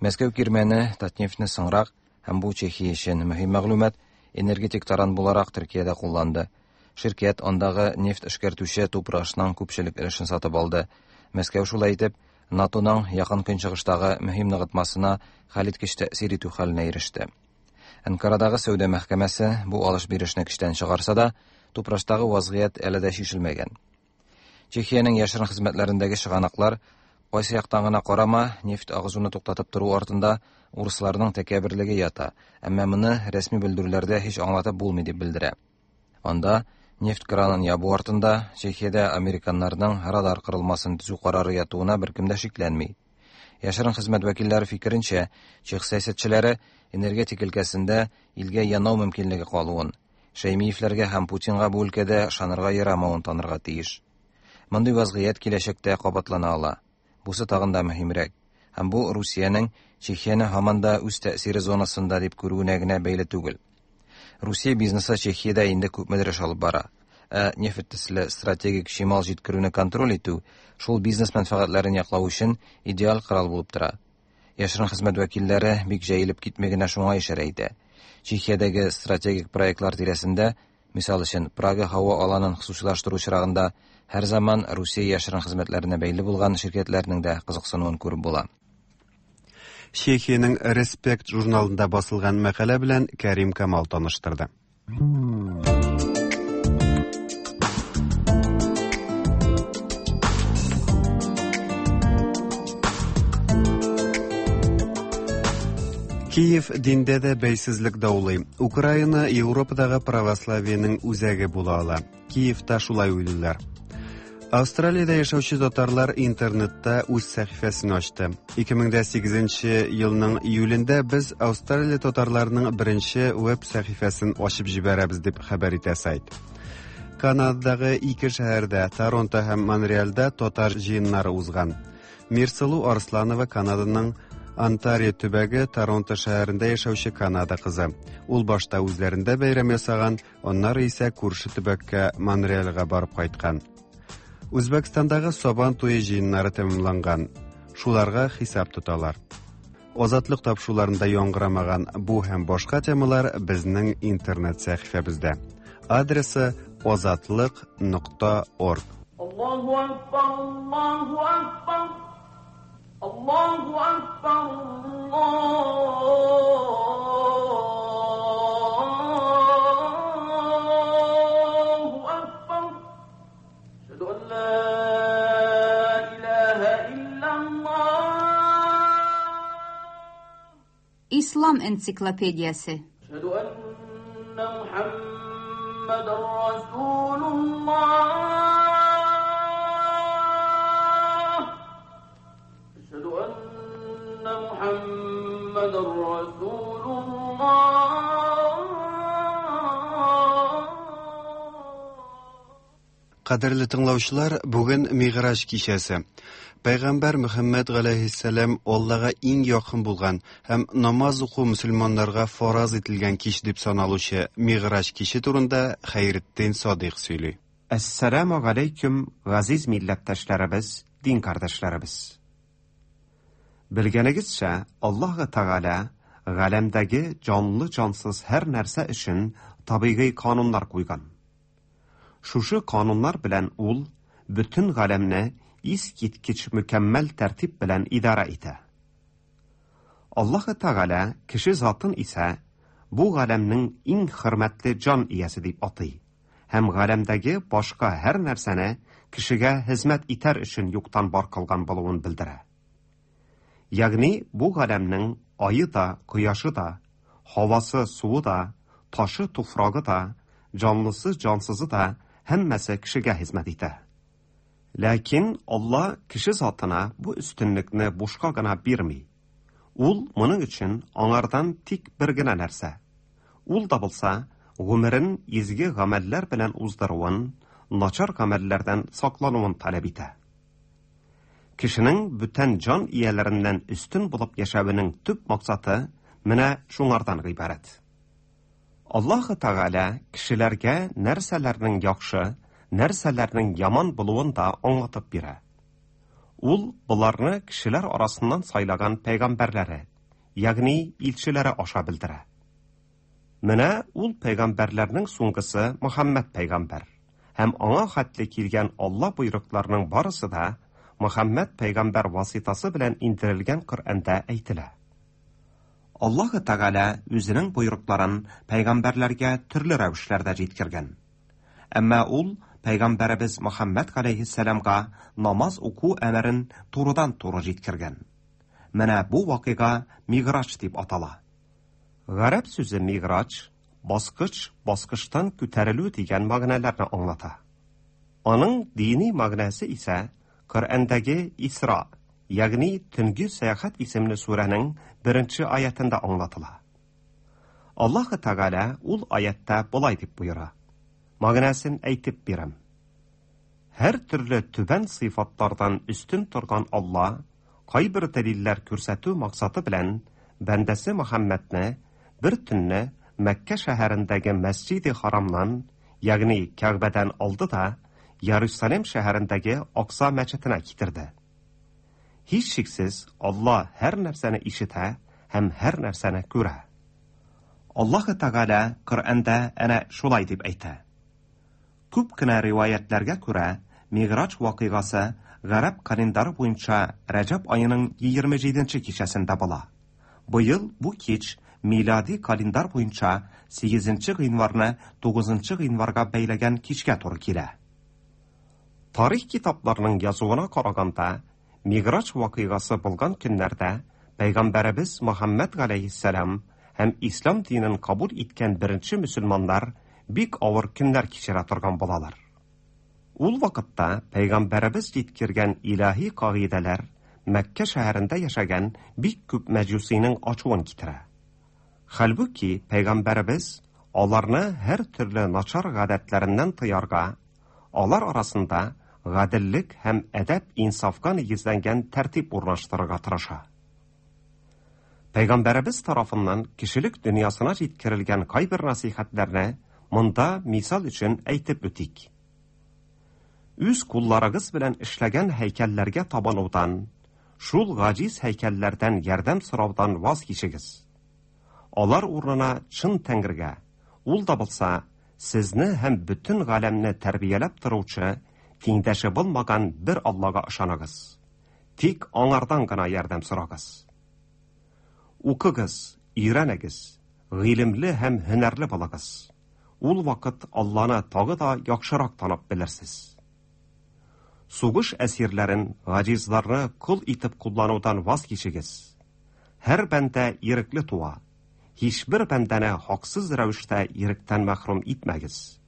Мәскәү кирмәне Татнефтьне соңрак, һәм бу Чехия өчен мөһим мәгълүмат, энергетик таран буларак Төркиядә кулланды. Ширкәт андагы нефть эшкәртүче Тупрашның күпчелек өлешен сатып алды. Мәскәү шулай итеп, НАТОның Якын Көнчыгыштагы мөһим ныгытмасына хәлиткеч тәэсир итү хәленә иреште. Әнкарадагы сәүдә мәхкәмәсе бу алыш-бирешне көчтән чыгарса да, Тупраштагы вазгыять әле дә чишелмәгән. Чехиянең яшерен хезмәтләрендәге чыганаклар, кайсы яктан гына карама, нефть агызуны туктатып тору артында урысларның тәкәбберлеге ята, әмма моны рәсми белдерүләрдә һич аңлатып булмый дип белдерә. Анда нефть кранын ябу артында Чехиядә американнарның радар корылмасын төзү карары ятуына беркем дә шикләнми. Яшерен хезмәт вәкилләре фикеренчә, чех сәясәтчеләре энергетик өлкәсендә илгә янау мөмкинлеге калуын, Шәймиевләргә һәм Путинга бу өлкәдә ышанырга ярамавын танырга тиеш. Мондый вазгыять киләчәктә кабатлана ала. Бусы тагын да мөһимрәк. Һәм бу Русиянең Чехияне һаман да үз тәэсире зонасында дип күрүенә генә бәйле түгел. Русия бизнесы Чехиядә инде күпмедер эш алып бара. Ә нефть төсле стратегик чимал җиткерүне контроль итү шул бизнес мәнфәгатьләрен яклау өчен идеаль корал булып тора. Яшерен хезмәт вәкилләре бик җәелеп китми генә шуңа ишарә итә. Чехиядәге стратегик проектлар тирәсендә, мисал өчен, Прага һава аланын хосусыйлаштыру очрагында, һәрзаман Русия яшерен хезмәтләренә бәйле булган ширкәтләрнең дә кызыксынуын күреп була. Чехиянең Респект журналында басылган мәкалә белән Кәрим Камал таныштырды. Киев диндә дә бәйсезлек даулый. Украина Европадагы православиенең үзәге була ала. Киевта шулай уйлыйлар. Австралиядә яшәүче татарлар интернетта үз сәхифәсен ачты. 2008 елның июлендә без Австралия татарларының беренче веб сәхифәсен ачып җибәрәбез дип хәбәр итә сайт. Канададагы ике шәһәрдә, Торонто һәм Монреальдә татар җыеннары узган. Мирсылу Арсланова Канаданың Онтарио төбәге Торонто шәһәрендә яшәүче Канада кызы. Ул башта үзләрендә бәйрәм ясаган, аннары исә күрше төбәккә Монреальгә барып кайткан. Үзбәкстандагы Сабан туе җыеннары тәмамланган. Шуларга хисап тоталар. Азатлык тапшыруларында яңгырамаган бу һәм башка темалар безнең интернет сәхифәбездә. Адресы азатлык.орг. Аллаһу акбар, Аллаһу акбар, Аллаһу акбар, Аллаһу акбар. Әшһәду ан ла илаһа иллаллаһ. Ислам энциклопедиясе. Әшһәду анна Мухаммадан محمد رسول الله. أشهد أن محمد رسول الله. Кадерле тыңлаучылар, бүген Мигъраҗ кичәсе. Пәйгамбәр Мөхәммәд галәйһиссәлам Аллага иң якын булган һәм намаз уку мөселманнарга фараз ителгән кич дип саналучы Мигъраҗ киче турында Хәйретдин Садыйк сөйли. Әссәламү галәйкүм, газиз милләттәшләребез, дин кардәшләребез! Белгәнегезчә, Аллаһы Тәгалә галәмдәге җанлы-җансыз һәр нәрсә өчен табигый кануннар куйган. Шушы кануннар белән ул бөтен галәмне искиткеч мөкәммәл тәртип белән идарә итә. Аллаһы Тәгалә кеше затын исә бу галәмнең иң хөрмәтле җан иясе дип атый һәм галәмдәге башка һәр нәрсәне кешегә хезмәт итәр өчен юктан бар кылган булуын белдерә. Ягъни бу галәмнең ае да, кояшы да, һавасы, суы да, ташы, туфрагы да, җанлысы, җансызы да һәммәсе кешегә хезмәт итә. Ләкин Алла кеше затына бу өстенлекне бушка гына бирми. Ул моның өчен аңардан тик бер генә нәрсә, ул да булса, гомерен изге гамәлләр белән уздыруын, начар гамәлләрдән саклануын таләп итә. Кешенең бүтән җан ияләреннән өстен булып яшәвенең төп максаты менә шуңардан гыйбарәт. Аллаһы Тәгалә кешеләргә нәрсәләрнең яхшы, нәрсәләрнең яман булуын да аңлатып бирә. Ул боларны кешеләр арасыннан сайлаган пәйгамбәрләре, ягъни илчеләре аша белдерә. Менә ул пәйгамбәрләрнең соңгысы Мөхәммәд пәйгамбәр һәм аңа хәтле килгән Алла боерыкларының барысы да Мөхәммәд пәйгамбәр васитасы белән индерелгән Коръәндә әйтелә. Аллаһы Тәгалә үзенең боерыкларын пәйгамбәрләргә төрле рәвешләрдә җиткергән. Әмма ул пәйгамбәребез Мөхәммәд галәйһиссәламга намаз уку әмерен турыдан-туры җиткергән. Менә бу вакыйга Мигъраҗ дип атала. Гарәп сүзе мигъраҗ, баскыч, баскычтан күтәрелү дигән мәгънәләрне аңлата. Аның дини мәгънәсе исә Коръәндәге Исра, ягъни Төнге сәяхәт исемле сүрәнең беренче аятендә аңлатыла. Аллаһы Тәгалә ул аятьтә болай дип боера. Мәгънәсен әйтеп бирәм. Һәр төрле түбән сыйфатлардан өстен торган Алла кайбер дәлилләр күрсәтү максаты белән бәндәсе Мөхәммәдне бер төнне Мәккә шәһәрендәге Мәсҗиде Харамнан, ягъни Кәгъбәдән алды да Ярусалим шәһәрендәге Акса мәчетенә китерде. Һичшиксез, Алла һәр нәрсәне ишетә һәм һәр нәрсәне күрә. Аллаһы Тәгалә Коръәндә әнә шулай дип әйтә. Күп кенә риваятьләргә күрә, Мигъраҗ вакыйгасы гарәп календары буенча Рәҗәб аеның 27 нче кичәсендә була. Быел бу кич милади календарь буенча 8 гыйнварны 9 гыйнварга бәйләгән кичкә туры килә. Тарих китапларының язуына караганда, Мигъраҗ вакыйгасы булган көннәрдә пәйгамбәребез Мөхәммәд галәйһиссәлам һәм ислам динен кабул иткән беренче мөселманнар бик авыр көннәр кичерә торган булалар. Ул вакытта пәйгамбәребез җиткергән илаһи кагыйдәләр Мәккә шәһәрендә яшәгән бик күп мәҗүсинең ачуын китерә. Хәлбуки, пәйгамбәребез аларны һәр төрле начар гадәтләреннән тыярга, алар арасында гаделлек һәм әдәп-инсафка нигезләнгән тәртип урнаштырырга тырыша. Пәйгамбәребез тарафыннан кешелек дөньясына җиткерелгән кайбер насыйхәтләрне монда мисал өчен әйтеп үтик. Үз кулларыгыз белән эшләгән һәйкәлләргә табынудан, шул гаҗиз һәйкәлләрдән ярдәм сораудан ваз кичегез. Алар урынына чын Тәңрегә, ул да булса, сезне һәм бөтен галәмне тәрбияләп торучы, тиңдәше булмаган бер Аллага ышаныгыз. Тик аңардан гына ярдәм сорагыз. Укыгыз, өйрәнегез, гыйлемле һәм һөнәрле булыгыз. Ул вакыт Алланы тагы да яхшырак танып белерсез. Сугыш әсирләрен, гаҗизларны кол итеп кулланудан ваз кичегез. Һәр бәндә ирекле туа. Һичбер бәндәне хаксыз рәвештә иректән мәхрүм итмәгез.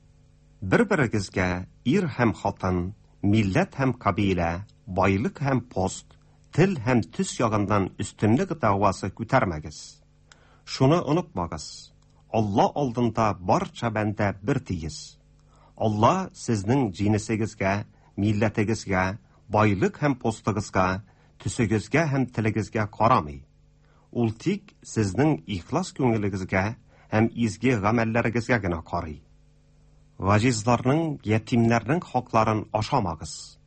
Бер-берегезгә ир һәм хатын, милләт һәм кабилә, байлык һәм пост, тел һәм төс ягыннан өстенлек дәгъвасы күтәрмәгез. Шуны онытмагыз, Алла алдында барча бәндә бер тигез. Алла сезнең җенесегезгә, милләтегезгә, байлык һәм постыгызга, төсегезгә һәм телегезгә карамый. Ул тик сезнең ихлас күңелегезгә һәм изге гамәлләрегезгә генә карый. Гаҗизларның, ятимнәрнең хакларын ашамагыз.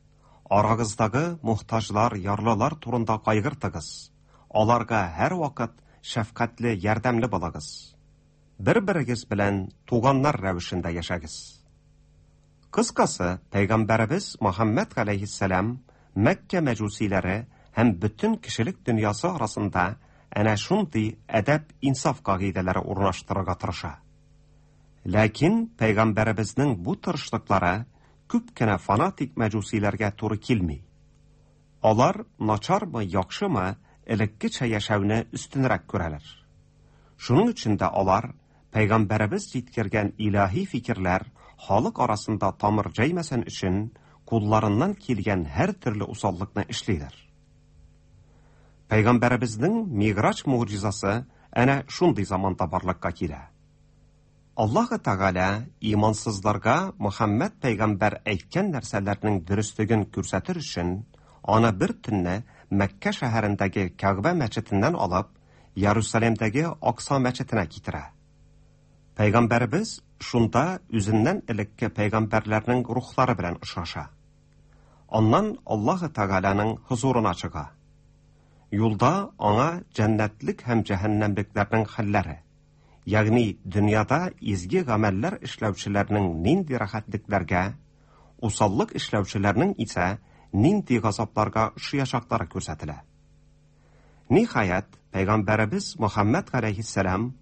Арагыздагы мохтаҗлар, ярлылар турында кайгыртыгыз. Аларга һәрвакыт шәфкатьле, ярдәмле булыгыз. Бер-берегез белән туганнар рәвешендә яшәгез. Кыскасы, пәйгамбәребез Мөхәммәд галәйһиссәлам Мәккә мәҗүсиләре һәм бөтен кешелек дөньясы арасында әнә шундый әдәп-инсаф кагыйдәләре урнаштырырга тырыша. Ләкин пәйгамбәребезнең бу тырышлыклары күп кенә фанатик мәҗүсиләргә туры килми. Алар начармы, яхшымы, элеккечә яшәүне өстенрәк күрәләр. Шуның өчен дә алар пәйгамбәребез җиткергән илаһи фикерләр халык арасында тамыр җәймәсен өчен кулларыннан килгән һәр төрле усаллыкны эшлиләр. Пәйгамбәребезнең Миграҗ могҗизасы әнә шундый заманда барлыкка килә. Аллаһы Тәгалә имансызларга Мөхәммәд пәйгамбәр әйткән нәрсәләрнең дөреслеген күрсәтер өчен, аны бер төнне Мәккә шәһәрендәге Кәгъбә мәчетеннән алып, Ярусалимдәге Акса мәчетенә китерә. Пәйгамбәребез шунда үзеннән элекке пәйгамбәрләрнең рухлары белән очраша. Аннан Аллаһы Тәгаләнең хозурына чыга. Юлда аңа җәннәтлек һәм җәһәннәмлекләрнең хәлләре, ягъни дөньяда изге гамәлләр эшләүчеләрнең нинди рәхәтлекләргә, усаллык эшләүчеләрнең исә нинди газапларга очраячаклары күрсәтелә. Ниһаять, пәйгамбәребез Мөхәммәд галәйһиссәлам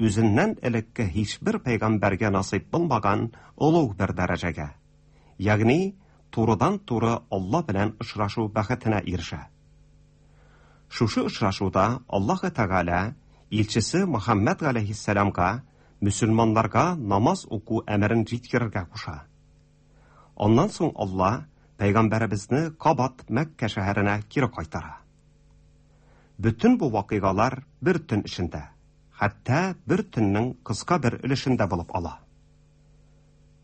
үзеннән элекке һичбер пәйгамбәргә насыйп булмаган олуг бер дәрәҗәгә, ягъни турыдан-туры Алла белән очрашу бәхетенә ирешә. Шушы очрашуда Аллаһы Тәгалә илчесе Мөхәммәд галәйһиссәламга мөселманнарга намаз уку әмерен җиткерергә куша. Аннан соң Алла пәйгамбәребезне кабат Мәккә шәһәренә кире кайтара. Бөтен бу вакыйгалар бер төн эчендә, хәтта бер төннең кыска бер өлешендә булып ала.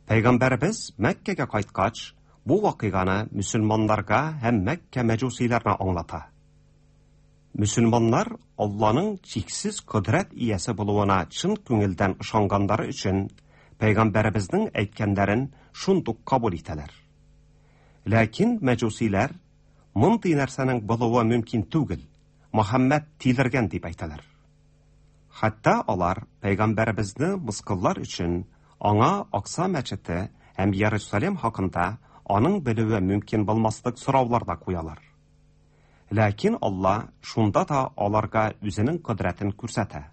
Пәйгамбәребез Мәккәгә кайткач, бу вакыйганы мөселманнарга һәм Мәккә мәҗүсиләренә аңлата. Мөселманнар Алланың чиксез кодрәт иясе булуына чын күңелдән ышанганнары өчен пәйгамбәребезнең әйткәннәрен шундук кабул итәләр. Ләкин мәҗүсиләр мондый нәрсәнең булуы мөмкин түгел, Мөхәммәд тилергән дип әйтәләр. Хәтта алар пәйгамбәребезне мыскыллар өчен аңа Акса мәчете һәм Иерусалим хакында аның белүе мөмкин булмаслык сораулар да куялар. Ләкин Алла шунда да аларга үзенең кодрәтен күрсәтә.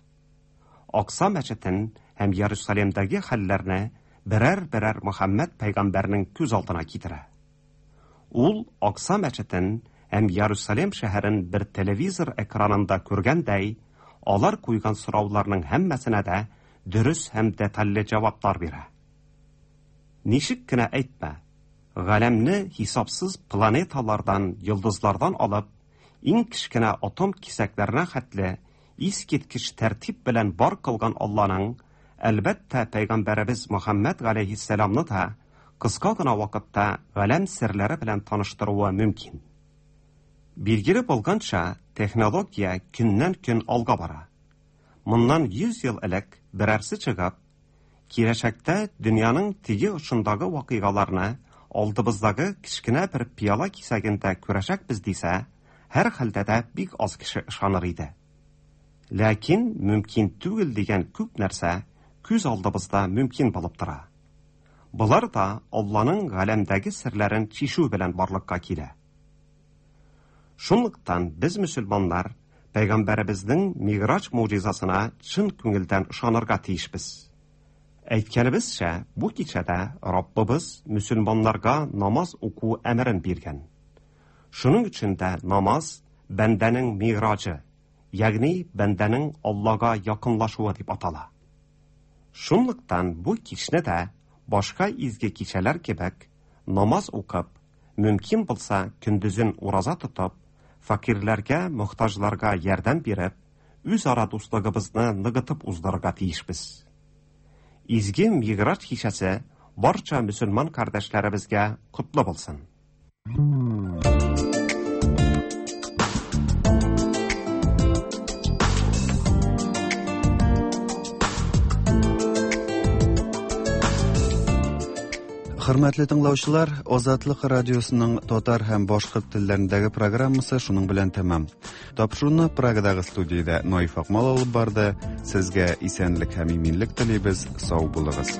Акса мәчетен һәм Иерусалимдәге хәлләрне берәр-берәр Мөхәммәд пәйгамбәрнең күз алдына китерә. Ул Акса мәчетен һәм Иерусалим шәһәрен бер телевизор экранында күргәндәй, алар куйган сорауларның һәммәсенә дә дөрес һәм детальле җаваплар бирә. Ничек кенә әйтмә, галәмне хисапсыз планеталардан, йолдызлардан алып, иң кечкенә атом кисәкләренә хәтле искиткеч тәртип белән бар кылган Алланың, әлбәттә, пәйгамбәребез Мөхәммәд галәйһиссәламны да кыска гына вакытта галәм серләре белән таныштыруы мөмкин. Билгеле булганча, технология көннән-көн алга бара. Моннан 100 ел элек берәрсе чыгып, киләчәктә дөньяның теге очындагы вакыйгаларны алдыбыздагы кечкенә бер пыяла кисәгендә күрәчәкбез дисә, һәрхәлдә дә бик аз кеше ышаныр иде. Ләкин мөмкин түгел дигән күп нәрсә күз алдыбызда мөмкин булып тора. Болар да Алланың галәмдәге серләрен чишү белән барлыкка килә. Шунлыктан без мөселманнар пәйгамбәребезнең Миграҗ могҗизасына чын күңелдән ышанырга тиешбез. Әйткәнебезчә, бу кичәдә Раббыбыз мөселманнарга намаз уку әмерен биргән. Шуның өчен дә намаз бәндәнең миграҗы, ягъни бәндәнең Аллага якынлашуы дип атала. Шунлыктан бу кичне дә башка изге кичәләр кебек, намаз укып, мөмкин булса, көндезен ураза тотып, фәкыйрьләргә, мохтаҗларга ярдәм биреп, үзара дуслыгыбызны ныгытып уздырырга тиешбез. Изге Мигъраҗ кичәсе барча мөселман кардәшләребезгә котлы булсын. Хөрмәтле тыңлаучылар, Азатлык радиосының татар һәм башкорт телләрендәге программасы шуның белән тәмам. Тапшыруны Прагадагы студиядә Наиф Акмал алып барды. Сезгә исәнлек һәм иминлек телибез. Сау булыгыз.